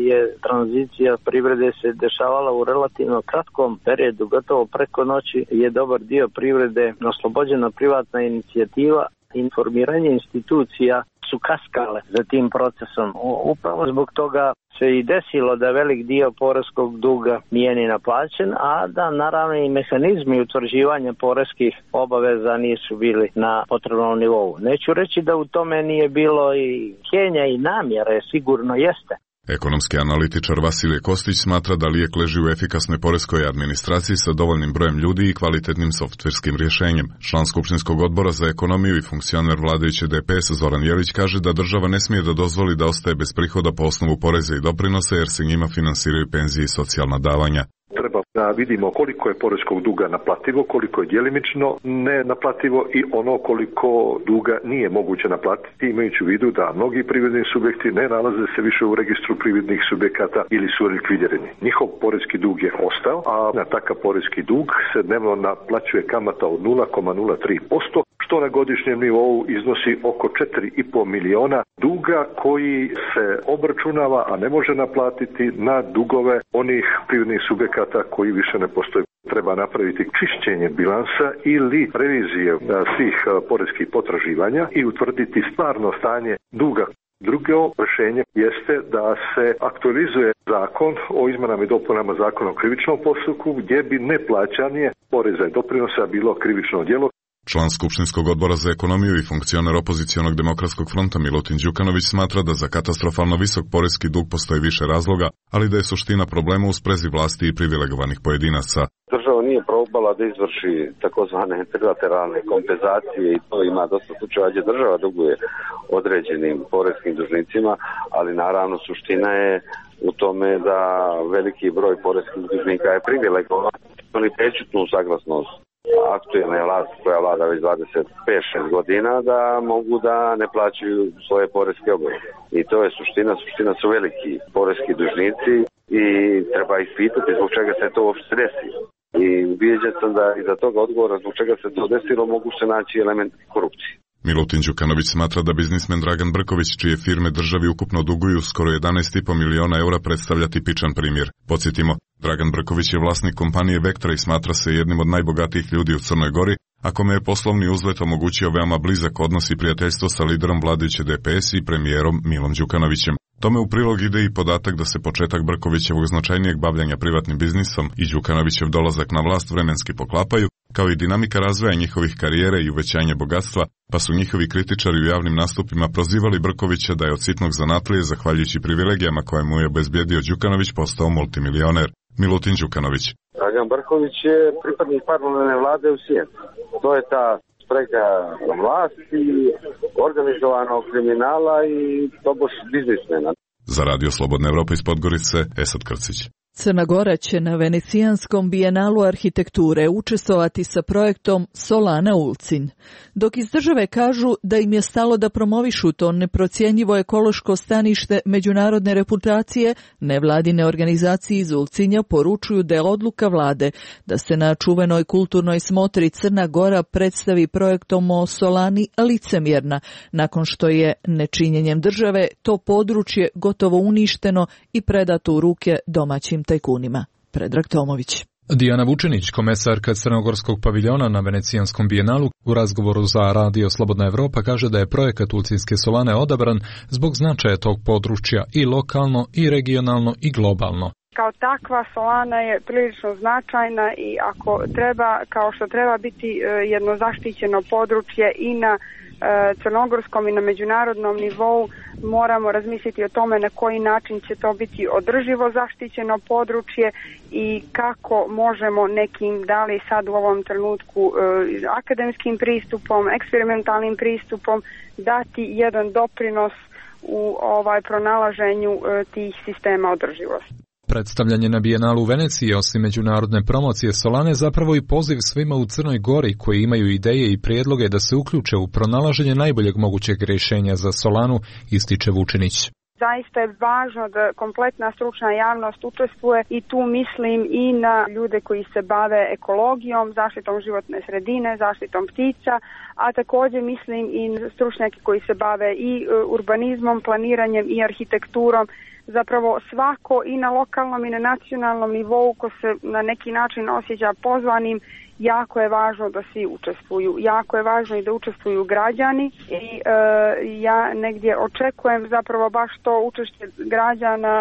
je tranzicija privrede se dešavala u relativno kratkom periodu, gotovo preko noći je dobar dio privrede oslobođena privatna inicijativa. Informiranje institucija su kaskale za tim procesom. Upravo zbog toga se i desilo da velik dio poreskog duga nije ni naplaćen, a da naravno i mehanizmi utvrđivanja poreskih obaveza nisu bili na potrebnom nivou. Neću reći da u tome nije bilo i htijenja i namjere, sigurno jeste. Ekonomski analitičar Vasilije Kostić smatra da lijek leži u efikasnoj poreskoj administraciji sa dovoljnim brojem ljudi i kvalitetnim softverskim rješenjem. Član Skupštinskog odbora za ekonomiju i funkcioner vladajuće D P S Zoran Jelić kaže da država ne smije da dozvoli da ostaje bez prihoda po osnovu poreza i doprinosa jer se njima finansiraju penzije i socijalna davanja. Treba da vidimo koliko je poreskog duga naplativo, koliko je djelimično nenaplativo i ono koliko duga nije moguće naplatiti, imajući u vidu da mnogi privredni subjekti ne nalaze se više u registru privrednih subjekata ili su likvidirani. Njihov poreski dug je ostao, a na takav poreski dug se dnevno naplaćuje kamata od nula zarez nula tri posto, što na godišnjem nivou iznosi oko četiri i po miliona duga koji se obračunava, a ne može naplatiti na dugove onih privrednih subjekata koji više ne postoje. Treba napraviti čišćenje bilansa ili revizije svih poreskih potraživanja i utvrditi stvarno stanje duga. Drugo rješenje jeste da se aktualizuje zakon o izmenama i dopunama zakona o krivičnom postupku gdje bi neplaćanje poreza i doprinosa bilo krivično djelo. Član Skupštinskog odbora za ekonomiju i funkcioner opozicionog demokratskog fronta Milutin Đukanović smatra da za katastrofalno visok poreski dug postoji više razloga, ali da je suština problema u sprezi vlasti i privilegovanih pojedinaca. Država nije probala da izvrši takozvane trilateralne kompenzacije i to ima dosta slučajeva gdje država duguje određenim poreskim dužnicima, ali naravno suština je u tome da veliki broj poreskih dužnika je privilegovan, oni prečutnu saglasnost aktualne vlasti koja vlada već dvadeset pet šest godina da mogu da ne plaćaju svoje poreske obaveze. I to je suština, suština su veliki poreski dužnici i treba ispitati zbog čega se to uopšte desilo. I ubijeđen sam da iza toga odgovora zbog čega se to desilo mogu se naći element korupcije. Milutin Đukanović smatra da biznismen Dragan Brković, čije firme državi ukupno duguju skoro jedanaest i po miliona eura, predstavlja tipičan primjer. Podsjetimo, Dragan Brković je vlasnik kompanije Vektra i smatra se jednim od najbogatijih ljudi u Crnoj Gori, a kome je poslovni uzlet omogućio veoma blizak odnos i prijateljstvo sa liderom vladajuće D P S i premijerom Milom Đukanovićem. Tome u prilog ide i podatak da se početak Brkovićevog značajnijeg bavljanja privatnim biznisom i Đukanovićev dolazak na vlast vremenski poklapaju, kao i dinamika razvoja njihovih karijere i uvećanje bogatstva, pa su njihovi kritičari u javnim nastupima prozivali Brkovića da je od sitnog zanatlije, zahvaljujući privilegijama koje mu je obezbijedio Đukanović, postao multimilioner. Milutin Đukanović. Dragan Brković je pripadnik paralelne vlade u Sjeni. To je ta sprega vlasti, organizovanog kriminala i tobož biznismena. Za Radio Slobodna Evropa iz Podgorice, Esad Krcić. Crna Gora će na Venecijanskom bijenalu arhitekture učestvovati sa projektom Solana Ulcinj. Dok iz države kažu da im je stalo da promovišu to neprocjenjivo ekološko stanište međunarodne reputacije, nevladine organizacije iz Ulcinja poručuju da je odluka vlade da se na čuvenoj kulturnoj smotri Crna Gora predstavi projektom o Solani licemjerna, nakon što je nečinjenjem države to područje gotovo uništeno i predato u ruke domaćim tajkunima. Predrag Tomović. Dijana Vučinić, komesarka Crnogorskog paviljona na Venecijanskom bijenalu, u razgovoru za Radio Slobodna Evropa kaže da je projekat Ulcinjske solane odabran zbog značaja tog područja i lokalno, i regionalno, i globalno. Kao takva solana je prilično značajna i ako treba, kao što treba biti jedno zaštićeno područje i na crnogorskom i na međunarodnom nivou, moramo razmisliti o tome na koji način će to biti održivo zaštićeno područje i kako možemo nekim, da li sad u ovom trenutku akademskim pristupom, eksperimentalnim pristupom dati jedan doprinos u ovaj pronalaženju tih sistema održivosti. Predstavljanje na bijenalu u Veneciji, osim međunarodne promocije Solane, zapravo i poziv svima u Crnoj Gori koji imaju ideje i prijedloge da se uključe u pronalaženje najboljeg mogućeg rješenja za Solanu, ističe Vučinić. Zaista je važno da kompletna stručna javnost učestvuje i tu mislim i na ljude koji se bave ekologijom, zaštitom životne sredine, zaštitom ptica, a također mislim i na stručnjake koji se bave i urbanizmom, planiranjem i arhitekturom. Zapravo svako i na lokalnom i na nacionalnom nivou ko se na neki način osjeća pozvanim, jako je važno da svi učestvuju. Jako je važno i da učestvuju građani i e, ja negdje očekujem zapravo baš to učešće građana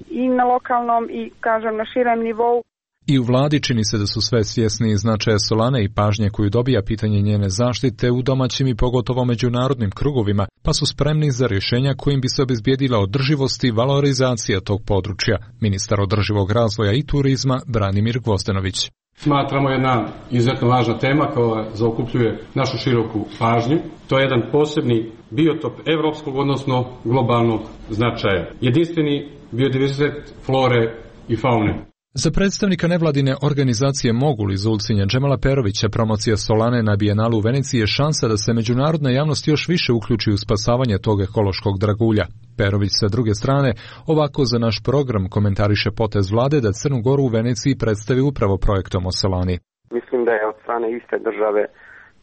i na lokalnom i kažem na širem nivou. I u vladi čini se da su sve svjesni značaja Solane i pažnje koju dobija pitanje njene zaštite u domaćim i pogotovo međunarodnim krugovima, pa su spremni za rješenja kojim bi se obezbijedila održivost i valorizacija tog područja. Ministar održivog razvoja i turizma Branimir Gvozdenović. Smatramo jedna izuzetno važna tema koja zaokupljuje našu široku pažnju. To je jedan posebni biotop evropskog, odnosno globalnog značaja. Jedinstveni biodiverzitet flore i faune. Za predstavnika nevladine organizacije Mogul iz Ulcinja Džemala Perovića, promocija Solane na bijenalu u Veneciji je šansa da se međunarodna javnost još više uključi u spasavanje tog ekološkog dragulja. Perović sa druge strane ovako za naš program komentariše potez vlade da Crnu Goru u Veneciji predstavi upravo projektom o Solani. Mislim da je od strane iste države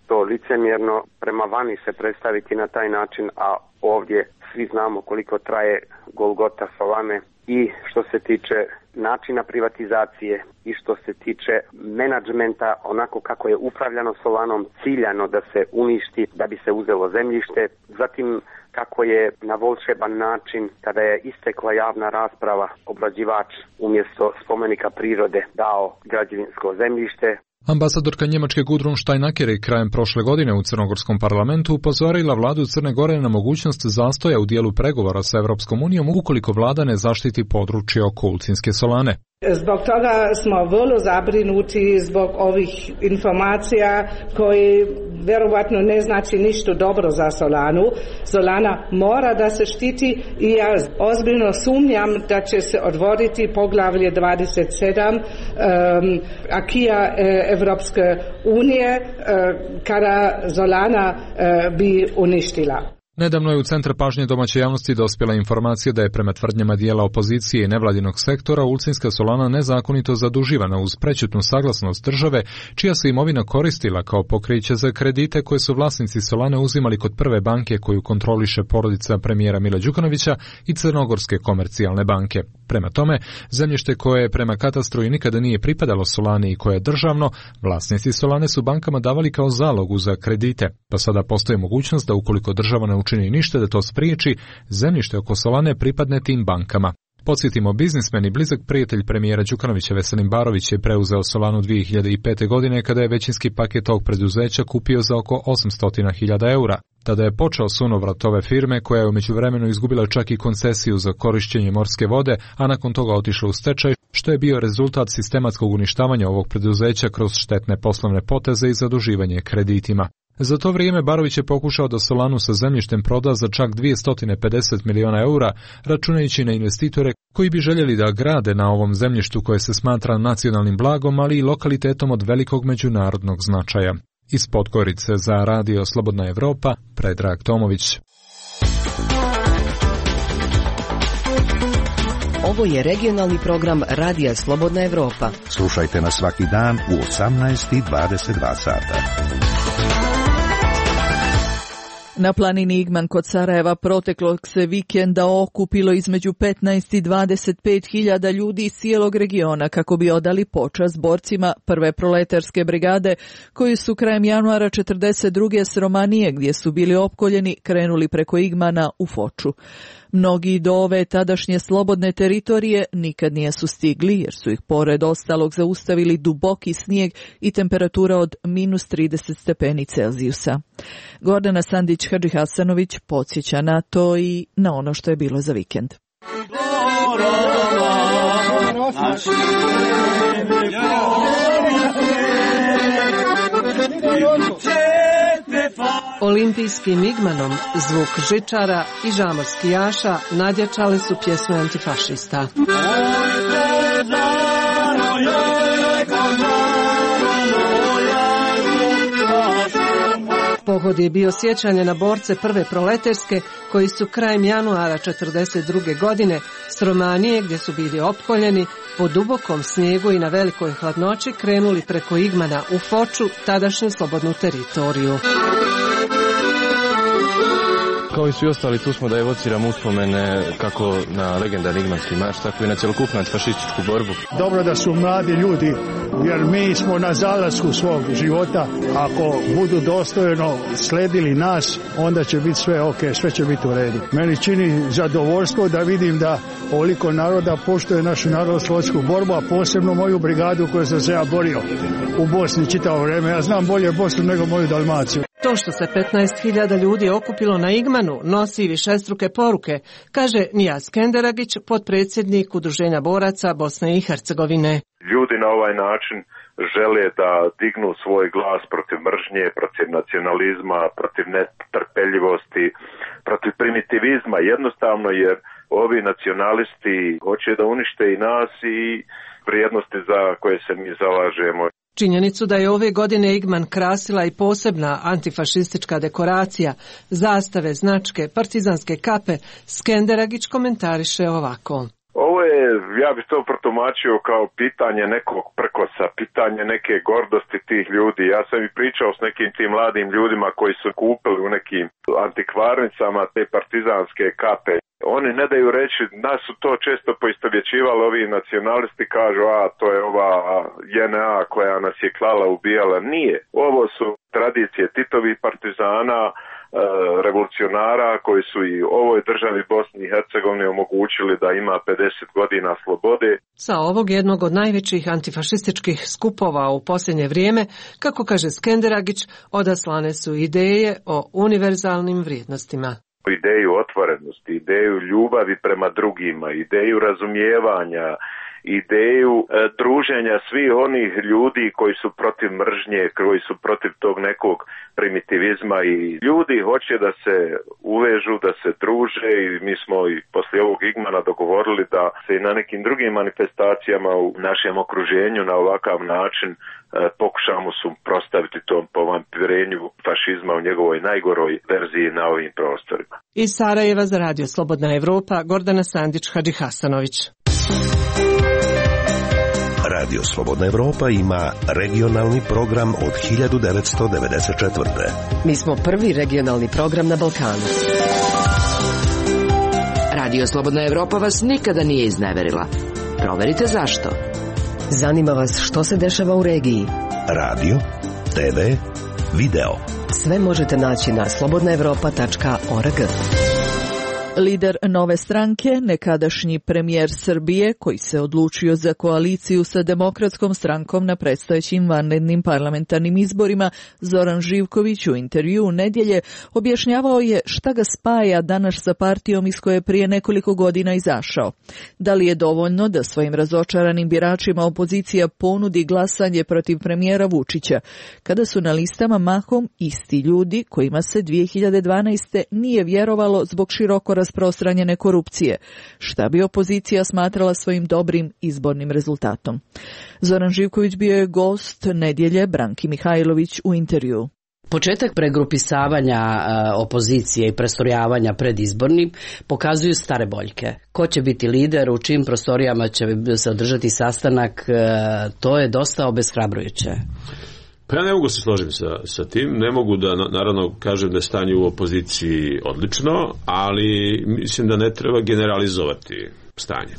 to licemjerno prema vani se predstaviti na taj način, a ovdje svi znamo koliko traje golgota Solane i što se tiče načina privatizacije i što se tiče menadžmenta, onako kako je upravljano Solanom, ciljano da se uništi, da bi se uzelo zemljište, zatim kako je na volšeban način, kada je istekla javna rasprava, obrađivač umjesto spomenika prirode dao građevinsko zemljište. Ambasadorka Njemačke Gudrun Steinacker je krajem prošle godine u Crnogorskom parlamentu upozorila vladu Crne Gore na mogućnost zastoja u dijelu pregovora sa Europskom unijom ukoliko vlada ne zaštiti područje oko Ulcinske solane. Zbog toga smo vrlo zabrinuti zbog ovih informacija koji vjerovatno ne znači ništa dobro za Solanu. Solana mora da se štiti i ja ozbiljno sumnjam da će se otvoriti poglavlje dvadeset sedam um, akija Evropske unije uh, kada Solana uh, bi uništila. Nedavno je u centar pažnje domaće javnosti dospjela informacija da je prema tvrdnjama dijela opozicije i nevladinog sektora Ulcinska solana nezakonito zaduživana uz prećutnu saglasnost države, čija se imovina koristila kao pokriće za kredite koje su vlasnici solane uzimali kod prve banke koju kontroliše porodica premijera Mila Đukanovića i Crnogorske komercijalne banke. Prema tome, zemljište koje prema katastru i nikada nije pripadalo solani i koje je državno, vlasnici solane su bankama davali kao zalogu za kredite, pa sada postoji mogućnost da ukoliko država ne učini ništa da to spriječi, zemljište oko solane pripadne tim bankama. Podsjetimo, biznismen i blizak prijatelj premijera Đukanovića Veselin Barović je preuzeo Solanu dvije hiljade pete. godine kada je većinski paket tog preduzeća kupio za oko osamsto hiljada eura. Tada je počeo sunovrat ove firme koja je u međuvremenu izgubila čak i koncesiju za korišćenje morske vode, a nakon toga otišla u stečaj, što je bio rezultat sistematskog uništavanja ovog preduzeća kroz štetne poslovne poteze i zaduživanje kreditima. Za to vrijeme Barović je pokušao da Solanu sa zemljištem proda za čak dvjesto pedeset miliona eura, računajući na investitore koji bi željeli da grade na ovom zemljištu koje se smatra nacionalnim blagom, ali i lokalitetom od velikog međunarodnog značaja. Iz Podgorice za Radio Slobodna Evropa, Predrag Tomović. Ovo je regionalni program Radija Slobodna Evropa. Slušajte nas svaki dan u osamnaest i dvadeset dva sata. Na planini Igman kod Sarajeva proteklog se vikenda okupilo između petnaest i dvadeset pet hiljada ljudi iz cijelog regiona kako bi odali počast borcima prve proletarske brigade koji su krajem januara četrdeset druge s Romanije, gdje su bili opkoljeni, krenuli preko Igmana u Foču. Mnogi do ove tadašnje slobodne teritorije nikad nijesu stigli jer su ih pored ostalog zaustavili duboki snijeg i temperatura od minus trideset stepeni Celzijusa. Gordana Sandić-Hadži Hasanović podsjeća na to i na ono što je bilo za vikend. Olimpijskim Igmanom zvuk žičara i žamorskijaša nadjačali su pjesme antifašista. Pohod je bio sjećanje na borce prve proleterske koji su krajem januara četrdeset druge. godine s Romanije, gdje su bili opkoljeni, po dubokom snijegu i na velikoj hladnoći krenuli preko Igmana u Foču, tadašnju slobodnu teritoriju. Kao i svi ostali, tu smo da evociramo uspomene kako na legendarni Igmanski marš, tako i na cjelokupnu antifašističku borbu. Dobro da su mladi ljudi, jer mi smo na zalasku svog života. Ako budu dostojno sledili nas, onda će biti sve ok, sve će biti u redu. Meni čini zadovoljstvo da vidim da ovoliko naroda poštuje našu narodnooslobodilačku borbu, a posebno moju brigadu koju sam se ja borio u Bosni čitavo vrijeme. Ja znam bolje Bosnu nego moju Dalmaciju. To što se petnaest hiljada ljudi okupilo na Igmanu nosi višestruke poruke, kaže Nijaz Kenderagić, potpredsjednik Udruženja boraca Bosne i Hercegovine. Ljudi na ovaj način žele da dignu svoj glas protiv mržnje, protiv nacionalizma, protiv netrpeljivosti, protiv primitivizma, jednostavno jer ovi nacionalisti hoće da unište i nas i vrijednosti za koje se mi zalažemo. Činjenicu da je ove godine Igman krasila i posebna antifašistička dekoracija, zastave, značke, partizanske kape, Skenderagić komentariše ovako. Ovo je, ja bih to protumačio kao pitanje nekog prkosa, pitanje neke gordosti tih ljudi. Ja sam i pričao s nekim tim mladim ljudima koji su kupili u nekim antikvarnicama te partizanske kape. Oni ne daju reći, nas su to često poistovjećivali, ovi nacionalisti kažu, a to je ova J N A koja nas je klala, ubijala. Nije. Ovo su tradicije Titovih partizana, revolucionara koji su i ovoj državi Bosni i Hercegovini omogućili da ima pedeset godina slobode. Sa ovog jednog od najvećih antifašističkih skupova u posljednje vrijeme, kako kaže Skenderagić, odaslane su ideje o univerzalnim vrijednostima. Ideju otvorenosti, ideju ljubavi prema drugima, ideju razumijevanja, ideju e, druženja svih onih ljudi koji su protiv mržnje, koji su protiv tog nekog primitivizma i ljudi hoće da se uvežu, da se druže i mi smo i poslije ovog Igmana dogovorili da se i na nekim drugim manifestacijama u našem okruženju na ovakav način e, pokušamo suprotstaviti tom povampirenju fašizma u njegovoj najgoroj verziji na ovim prostorima. Iz Sarajeva za Radio Slobodna Evropa, Gordana Sandić-Hadžihasanović. Radio Slobodna Evropa ima regionalni program od hiljadu devetsto devedeset četvrte. Mi smo prvi regionalni program na Balkanu. Radio Slobodna Evropa vas nikada nije izneverila. Proverite zašto. Zanima vas što se dešava u regiji. Radio, te ve, video. Sve možete naći na slobodna evropa tačka org. Lider Nove stranke, nekadašnji premijer Srbije, koji se odlučio za koaliciju sa Demokratskom strankom na predstojećim vanrednim parlamentarnim izborima, Zoran Živković u intervju u nedjelje objašnjavao je šta ga spaja danas sa partijom iz koje je prije nekoliko godina izašao. Da li je dovoljno da svojim razočaranim biračima opozicija ponudi glasanje protiv premijera Vučića, kada su na listama mahom isti ljudi kojima se dvije hiljade dvanaeste. nije vjerovalo zbog široko rasprostranjene korupcije, šta bi opozicija smatrala svojim dobrim izbornim rezultatom. Zoran Živković bio je gost nedjelje Branki Mihajlović u intervju. Početak pregrupisavanja opozicije i prestrojavanja pred izbornim pokazuju stare boljke. Ko će biti lider, u čim prostorijama će se održati sastanak, to je dosta obeshrabrujuće. Pa ja ne mogu se složiti sa, sa tim, ne mogu da naravno kažem da je stanje u opoziciji odlično, ali mislim da ne treba generalizovati stanje.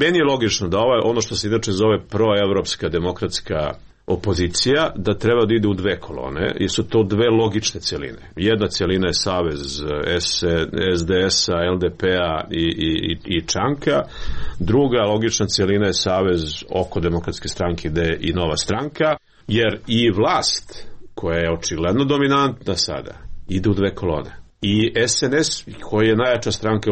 Meni je logično da ovo, ono što se inače zove proevropska demokratska opozicija, da treba da ide u dve kolone, jer su to dve logične cjeline. Jedna cjelina je savez es de es-a, el de pe-a i, i, i Čanka, druga logična cjelina je savez oko Demokratske stranke ide i Nova stranka, jer i vlast, koja je očigledno dominantna sada, ide u dve kolone. I es en es, koji je najjača stranka,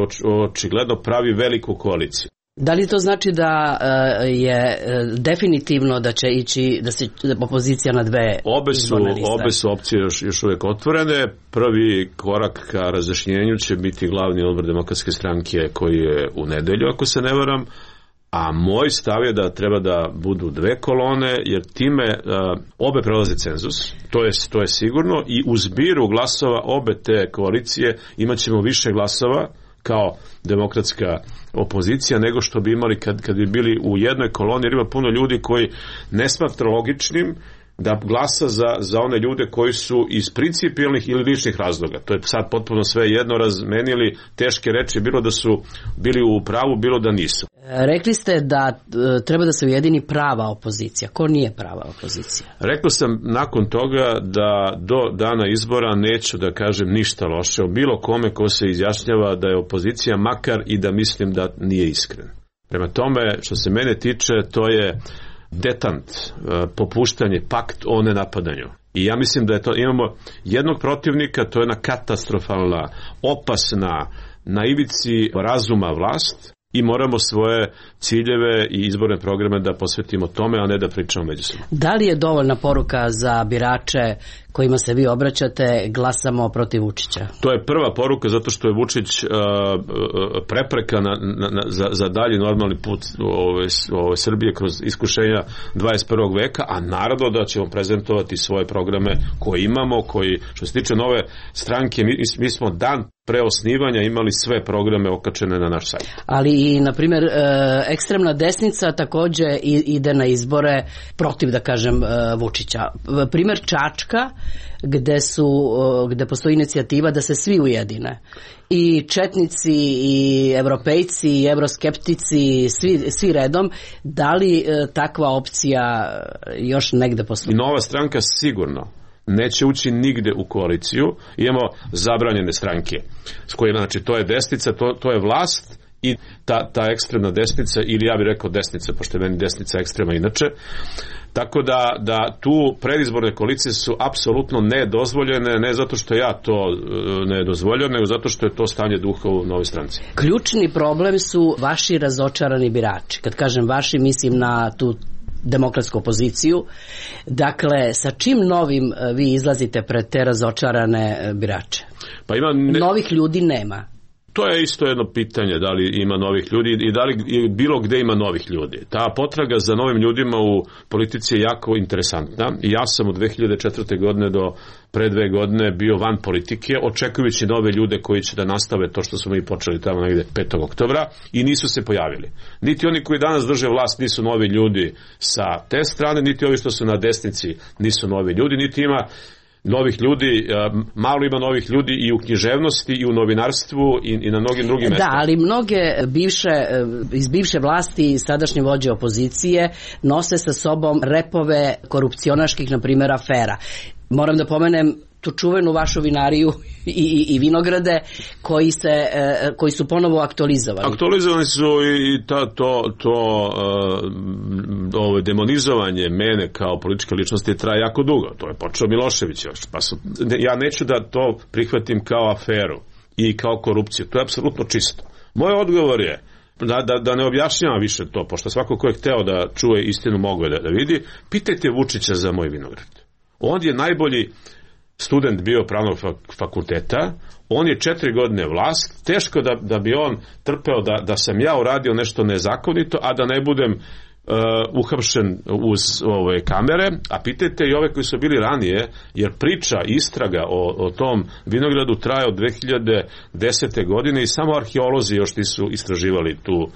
očigledno pravi veliku koaliciju. Da li to znači da uh, je uh, definitivno da će ići, da se opozicija na dve obe su, obe su opcije još, još uvijek otvorene. Prvi korak ka razjašnjenju će biti glavni odbor Demokratske stranke koji je u nedelju, ako se ne varam. A moj stav je da treba da budu dve kolone, jer time uh, obe prelaze cenzus, to je, to je sigurno, i u zbiru glasova obe te koalicije imat ćemo više glasova kao demokratska opozicija nego što bi imali kad, kad bi bili u jednoj koloni, jer ima puno ljudi koji ne smatra logičnim da glasa za, za one ljude koji su iz principijelnih ili ličnih razloga. To je sad potpuno sve jedno, razmenili teške reči, bilo da su bili u pravu, bilo da nisu. Rekli ste da e, treba da se ujedini prava opozicija. Ko nije prava opozicija? Rekao sam nakon toga da do dana izbora neću da kažem ništa loše o bilo kome ko se izjašnjava da je opozicija, makar i da mislim da nije iskren. Prema tome, što se mene tiče, to je detant, popuštanje, pakt o nenapadanju. I ja mislim da je to, imamo jednog protivnika, to je jedna katastrofalna, opasna, na ivici razuma vlast, i moramo svoje ciljeve i izborne programe da posvetimo tome, a ne da pričamo međusobno. Da li je dovoljna poruka za birače kojima se vi obraćate, glasamo protiv Vučića? To je prva poruka zato što je Vučić uh, prepreka na, na, na, za, za dalji normalni put ove, ove Srbije kroz iskušenja dvadeset prvog veka, a naravno da ćemo prezentovati svoje programe koje imamo, koji, što se tiče nove stranke, mi, mi smo dan pre osnivanja imali sve programe okačene na naš sajt. Ali i, na primjer, ekstremna desnica takođe ide na izbore protiv, da kažem, Vučića. Primjer Čačka, gde su, gde postoji inicijativa da se svi ujedine. I četnici, i evropejci, i evroskeptici, svi, svi redom. Da li takva opcija još negde postoji? I Nova stranka sigurno neće ući nigde u koaliciju. Imamo zabranjene stranke s kojima, znači, to je desnica, to, to je vlast i ta, ta ekstremna desnica, ili ja bih rekao desnica, pošto je meni desnica ekstrema inače. Tako da, da tu predizborne koalicije su apsolutno nedozvoljene, ne zato što ja to ne dozvoljam, nego zato što je to stanje duha u Novoj stranci. Ključni problem su vaši razočarani birači. Kad kažem vaši, mislim na tu demokratsku opoziciju. Dakle, sa čim novim vi izlazite pred te razočarane birače? Pa ima ne... Novih ljudi nema. To je isto jedno pitanje, da li ima novih ljudi i da li bilo gde ima novih ljudi. Ta potraga za novim ljudima u politici je jako interesantna. I ja sam od dve hiljade četvrte. godine do pre dve godine bio van politike, očekujući nove ljude koji će da nastave to što smo mi počeli tamo negde petog oktobra i nisu se pojavili. Niti oni koji danas drže vlast nisu novi ljudi sa te strane, niti ovi što su na desnici nisu novi ljudi, niti ima novih ljudi, malo ima novih ljudi i u književnosti i u novinarstvu i, i na mnogim drugim mestima. Da, ali mnoge bivše, iz bivše vlasti i sadašnje vođe opozicije nose sa sobom repove korupcionaških, na primjer, afera. Moram da pomenem tu čuvenu vašu vinariju i, i, i vinograde koji, se, koji su ponovo aktualizovani. Aktualizovani su i ta, to, to uh, ovo demonizovanje mene kao političke ličnosti traje jako dugo. To je počeo Milošević još. Pa su, ja neću da to prihvatim kao aferu i kao korupciju. To je apsolutno čisto. Moj odgovor je Da, da, da ne objašnjavam više to, pošto svako ko je hteo da čuje istinu mogo je da, da vidi. Pitajte Vučića za moj vinograd. On je najbolji student bio pravnog fakulteta, on je četiri godine vlast, teško da, da bi on trpeo da, da sam ja uradio nešto nezakonito, a da ne budem uh, uhapšen uz ove kamere, a pitajte i ove koji su bili ranije, jer priča, istraga o, o tom vinogradu traje od dve hiljade desete. godine i samo arheolozi još nisu istraživali tu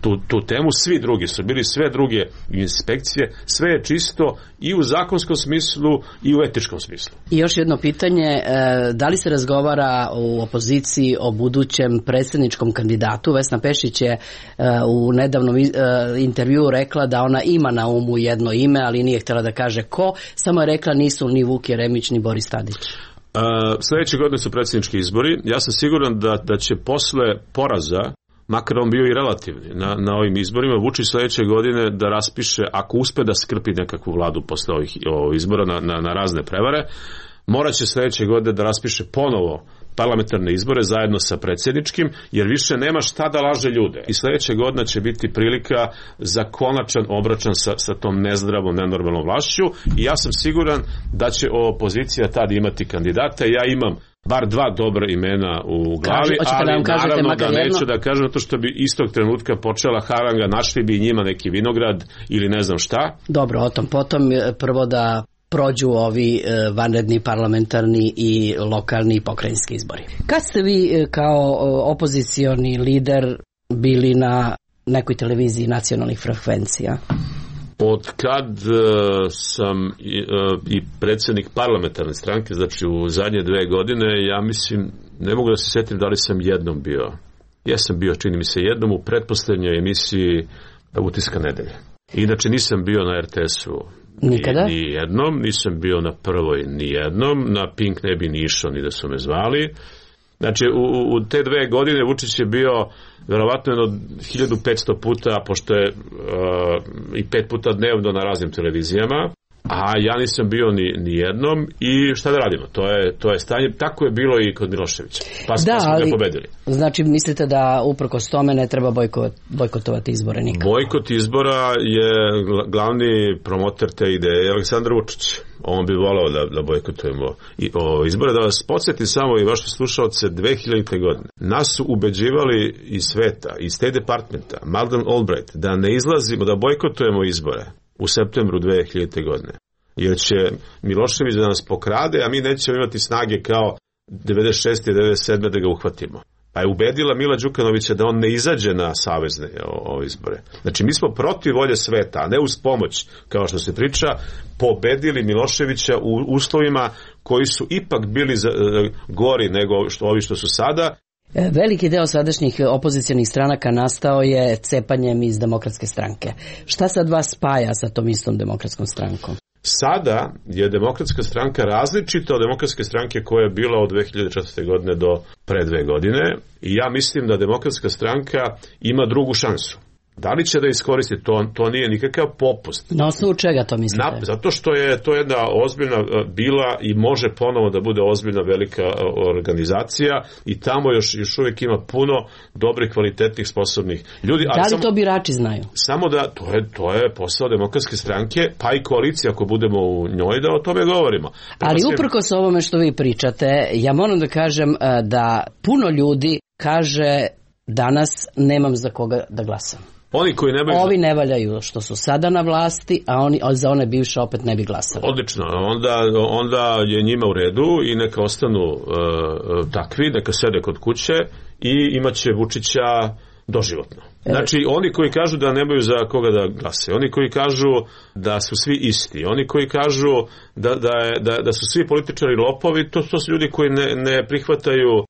Tu, tu temu, svi drugi su bili, sve druge inspekcije, sve je čisto i u zakonskom smislu i u etičkom smislu. I još jedno pitanje, da li se razgovara u opoziciji o budućem predsjedničkom kandidatu? Vesna Pešić je u nedavnom intervjuu rekla da ona ima na umu jedno ime, ali nije htjela da kaže ko, samo je rekla nisu ni Vuk Jeremić ni Boris Tadić. Uh, sljedeće godine su predsjednički izbori. Ja sam siguran da, da će posle poraza, makar on bio i relativni na, na ovim izborima, Vučić sljedeće godine da raspiše, ako uspe da skrpi nekakvu vladu posle ovih, ovih izbora na, na, na razne prevare, morat će sljedeće godine da raspiše ponovo parlamentarne izbore zajedno sa predsjedničkim, jer više nema šta da laže ljude. I sljedeće godine će biti prilika za konačan obračun sa, sa tom nezdravom, nenormalnom vlašću i ja sam siguran da će opozicija tad imati kandidata. Ja imam bar dva dobra imena u glavi, Kaži, ali da naravno da neću jedno? da kažem to što bi istog trenutka počela haranga, našli bi njima neki vinograd ili ne znam šta. Dobro, o tom potom prvo da prođu ovi vanredni parlamentarni i lokalni i pokrajinski izbori. Kad ste vi kao opozicioni lider bili na nekoj televiziji nacionalnih frekvencija? Od kad uh, sam i, uh, i predsjednik parlamentarne stranke, znači u zadnje dve godine, ja mislim, ne mogu da se sjetim da li sam jednom bio. Ja sam bio, čini mi se, jednom u pretposlednjoj emisiji Utiska nedelje. Inače nisam bio na er te esu nikada? Ni, ni jednom, nisam bio na prvoj ni jednom, na Pink ne bi ni išao ni da su me zvali. Znači u, u te dve godine Vučić je bio verovatno jedno hiljadu petsto puta, pošto je uh, i pet puta dnevno na raznim televizijama. a ja nisam bio ni, ni jednom i šta da radimo, to je, to je stanje, tako je bilo i kod Miloševića, pa, da, pa smo ga pobedili. Znači mislite da uprkos tome ne treba bojkot, bojkotovati izbore nikako? Bojkot izbora je glavni promoter te ideje Aleksandar Vučić. On bi volao da, da bojkotujemo i, o, izbore. Da vas podsjetim samo i vaše slušalce, dve hiljadite. godine nas su ubeđivali iz sveta, iz State Departmenta, Madeleine Albright, da ne izlazimo, da bojkotujemo izbore u septembru dve hiljadite. godine. Jer će Milošević da nas pokrade, a mi nećemo imati snage kao devedeset šeste i devedeset sedme da ga uhvatimo. Pa je ubedila Mila Đukanovića da on ne izađe na savezne ove izbore. Znači mi smo protiv volje sveta, a ne uz pomoć, kao što se priča, pobedili Miloševića u uslovima koji su ipak bili za, gori nego što, ovi što su sada. Veliki deo sadašnjih opozicionih stranaka nastao je cepanjem iz Demokratske stranke. Šta sad vas spaja sa tom istom Demokratskom strankom? Sada je Demokratska stranka različita od Demokratske stranke koja je bila od dve hiljade četvrte. godine do pre dve godine i ja mislim da Demokratska stranka ima drugu šansu. Da li će da iskoristi to? To nije nikakav popust. Na osnovu čega to mislite? Na, zato što je to jedna ozbiljna bila i može ponovo da bude ozbiljna velika organizacija i tamo još, još uvijek ima puno dobrih, kvalitetnih, sposobnih ljudi. Da li ali samo, to birači znaju? Samo da, to je, to je posao Demokratske stranke, pa i koalicija ako budemo u njoj da o tome govorimo. Pa ali uprkos ovome što vi pričate, ja moram da kažem da puno ljudi kaže danas nemam za koga da glasam. Oni koji nemaju... Ovi ne valjaju što su sada na vlasti, a oni za one bivše opet ne bi glasali. Odlično, onda, onda je njima u redu i neka ostanu uh, takvi, neka sede kod kuće i imaće Vučića doživotno. Znači, oni koji kažu da nemaju za koga da glasaju, oni koji kažu da su svi isti, oni koji kažu da, da, je, da, da su svi političari lopovi, to, to su ljudi koji ne, ne prihvataju uh,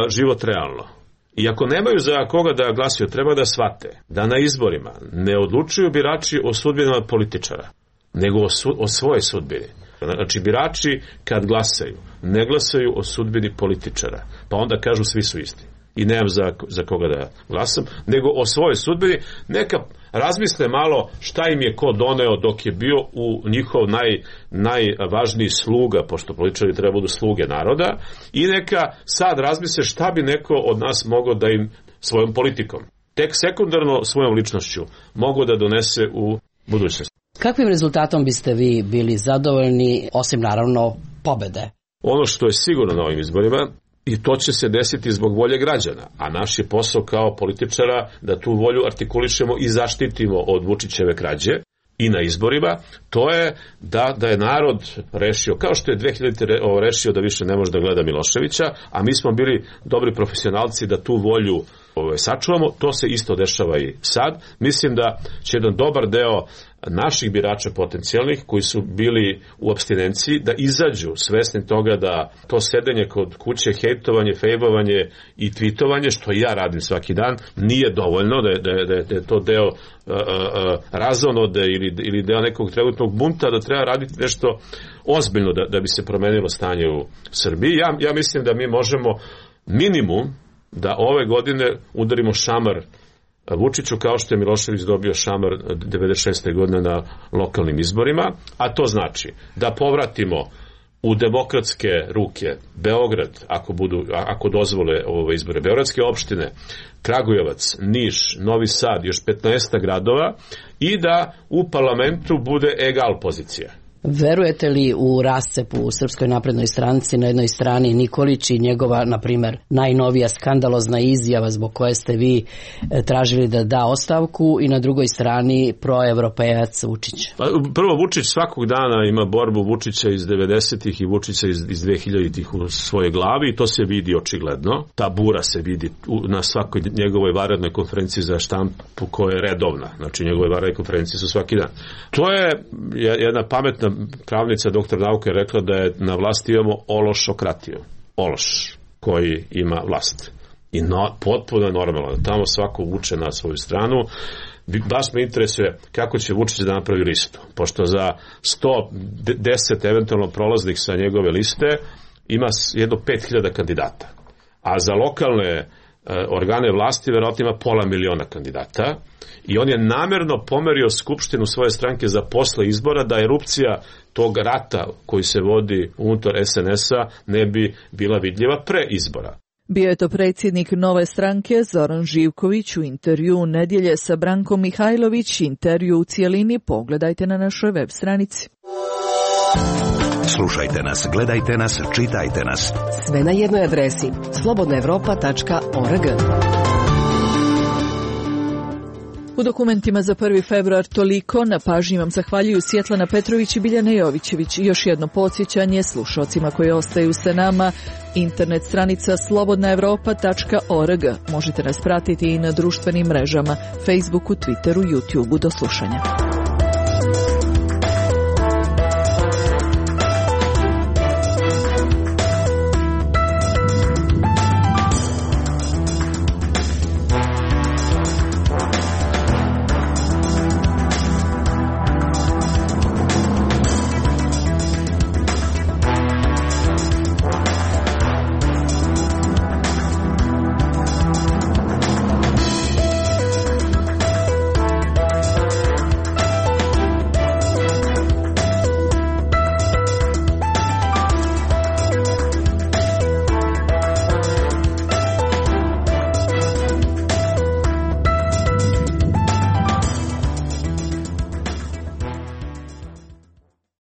život realno. I ako nemaju za koga da glasaju, treba da shvate da na izborima ne odlučuju birači o sudbinama političara, nego o, su, o svojoj sudbini. Znači, birači kad glasaju, ne glasaju o sudbini političara, pa onda kažu svi su isti. I nemam za, za koga da glasam, nego o svojoj sudbini. Neka razmisle malo šta im je ko doneo dok je bio u njihov naj, najvažniji sluga, pošto političari treba budu sluge naroda, i neka sad razmisle šta bi neko od nas mogao da im svojom politikom, tek sekundarno svojom ličnošću, mogao da donese u budućnosti. Kakvim rezultatom biste vi bili zadovoljni, osim naravno pobede? Ono što je sigurno na ovim izborima, i to će se desiti zbog volje građana, a naš je posao kao političara da tu volju artikulišemo i zaštitimo od Vučićeve krađe i na izborima, to je da, da je narod rešio, kao što je dve hiljadite. rešio da više ne može da gleda Miloševića, a mi smo bili dobri profesionalci da tu volju ove, sačuvamo, to se isto dešava i sad. Mislim da će jedan dobar deo naših birača potencijalnih koji su bili u apstinenciji da izađu svesni toga da to sedenje kod kuće, hejtovanje, fejbovanje i tvitovanje, što ja radim svaki dan, nije dovoljno, da je, da je, da je to deo uh, uh, razonode ili, ili deo nekog trenutnog bunta, da treba raditi nešto ozbiljno da, da bi se promenilo stanje u Srbiji. Ja, ja mislim da mi možemo minimum da ove godine udarimo šamar Vučiću kao što je Milošević dobio šamar devedeset šeste. godine na lokalnim izborima, a to znači da povratimo u demokratske ruke Beograd, ako budu, ako dozvole ove izbore, beogradske opštine, Kragujevac, Niš, Novi Sad, još petnaest gradova i da u parlamentu bude egal pozicija. Verujete li u rascep u Srpskoj naprednoj stranci, na jednoj strani Nikolić i njegova, na primjer, najnovija skandalozna izjava zbog koje ste vi tražili da da ostavku, i na drugoj strani proevropejac Vučić? Prvo, Vučić svakog dana ima borbu Vučića iz devedesetih i Vučića iz, iz dve hiljaditih u svojoj glavi i to se vidi očigledno. Ta bura se vidi na svakoj njegovoj vanrednoj konferenciji za štampu koja je redovna. Znači, njegove vanredne konferencije su svaki dan. To je jedna pametna pravnica, doktor nauke, rekla da je na vlasti imamo ološokratiju. Ološ koji ima vlast. I no, potpuno je normalno da tamo svako vuče na svoju stranu. Baš me interesuje kako će Vučić da napravi listu. Pošto za sto deset eventualno prolaznih sa njegove liste ima jedno pet hiljada kandidata. A za lokalne organe vlasti, verovatno ima pola miliona kandidata i on je namerno pomerio skupštinu svoje stranke za posle izbora da erupcija tog rata koji se vodi unutar es en es-a ne bi bila vidljiva pre izbora. Bio je to predsjednik Nove stranke Zoran Živković u intervju nedjelje sa Brankom Mihajlović. Intervju u cijelini pogledajte na našoj web stranici. Slušajte nas, gledajte nas, čitajte nas. Sve na jednoj adresi slobodna evropa tačka org. U dokumentima za prvi februar toliko. Na pažnji vam zahvaljuju Svjetlana Petrović i Biljana Jovićević. I još jedno podsjećanje slušalcima koji ostaju sa nama. Internet stranica slobodna evropa tačka org. Možete nas pratiti i na društvenim mrežama, Facebooku, Twitteru, YouTubeu. Do slušanja.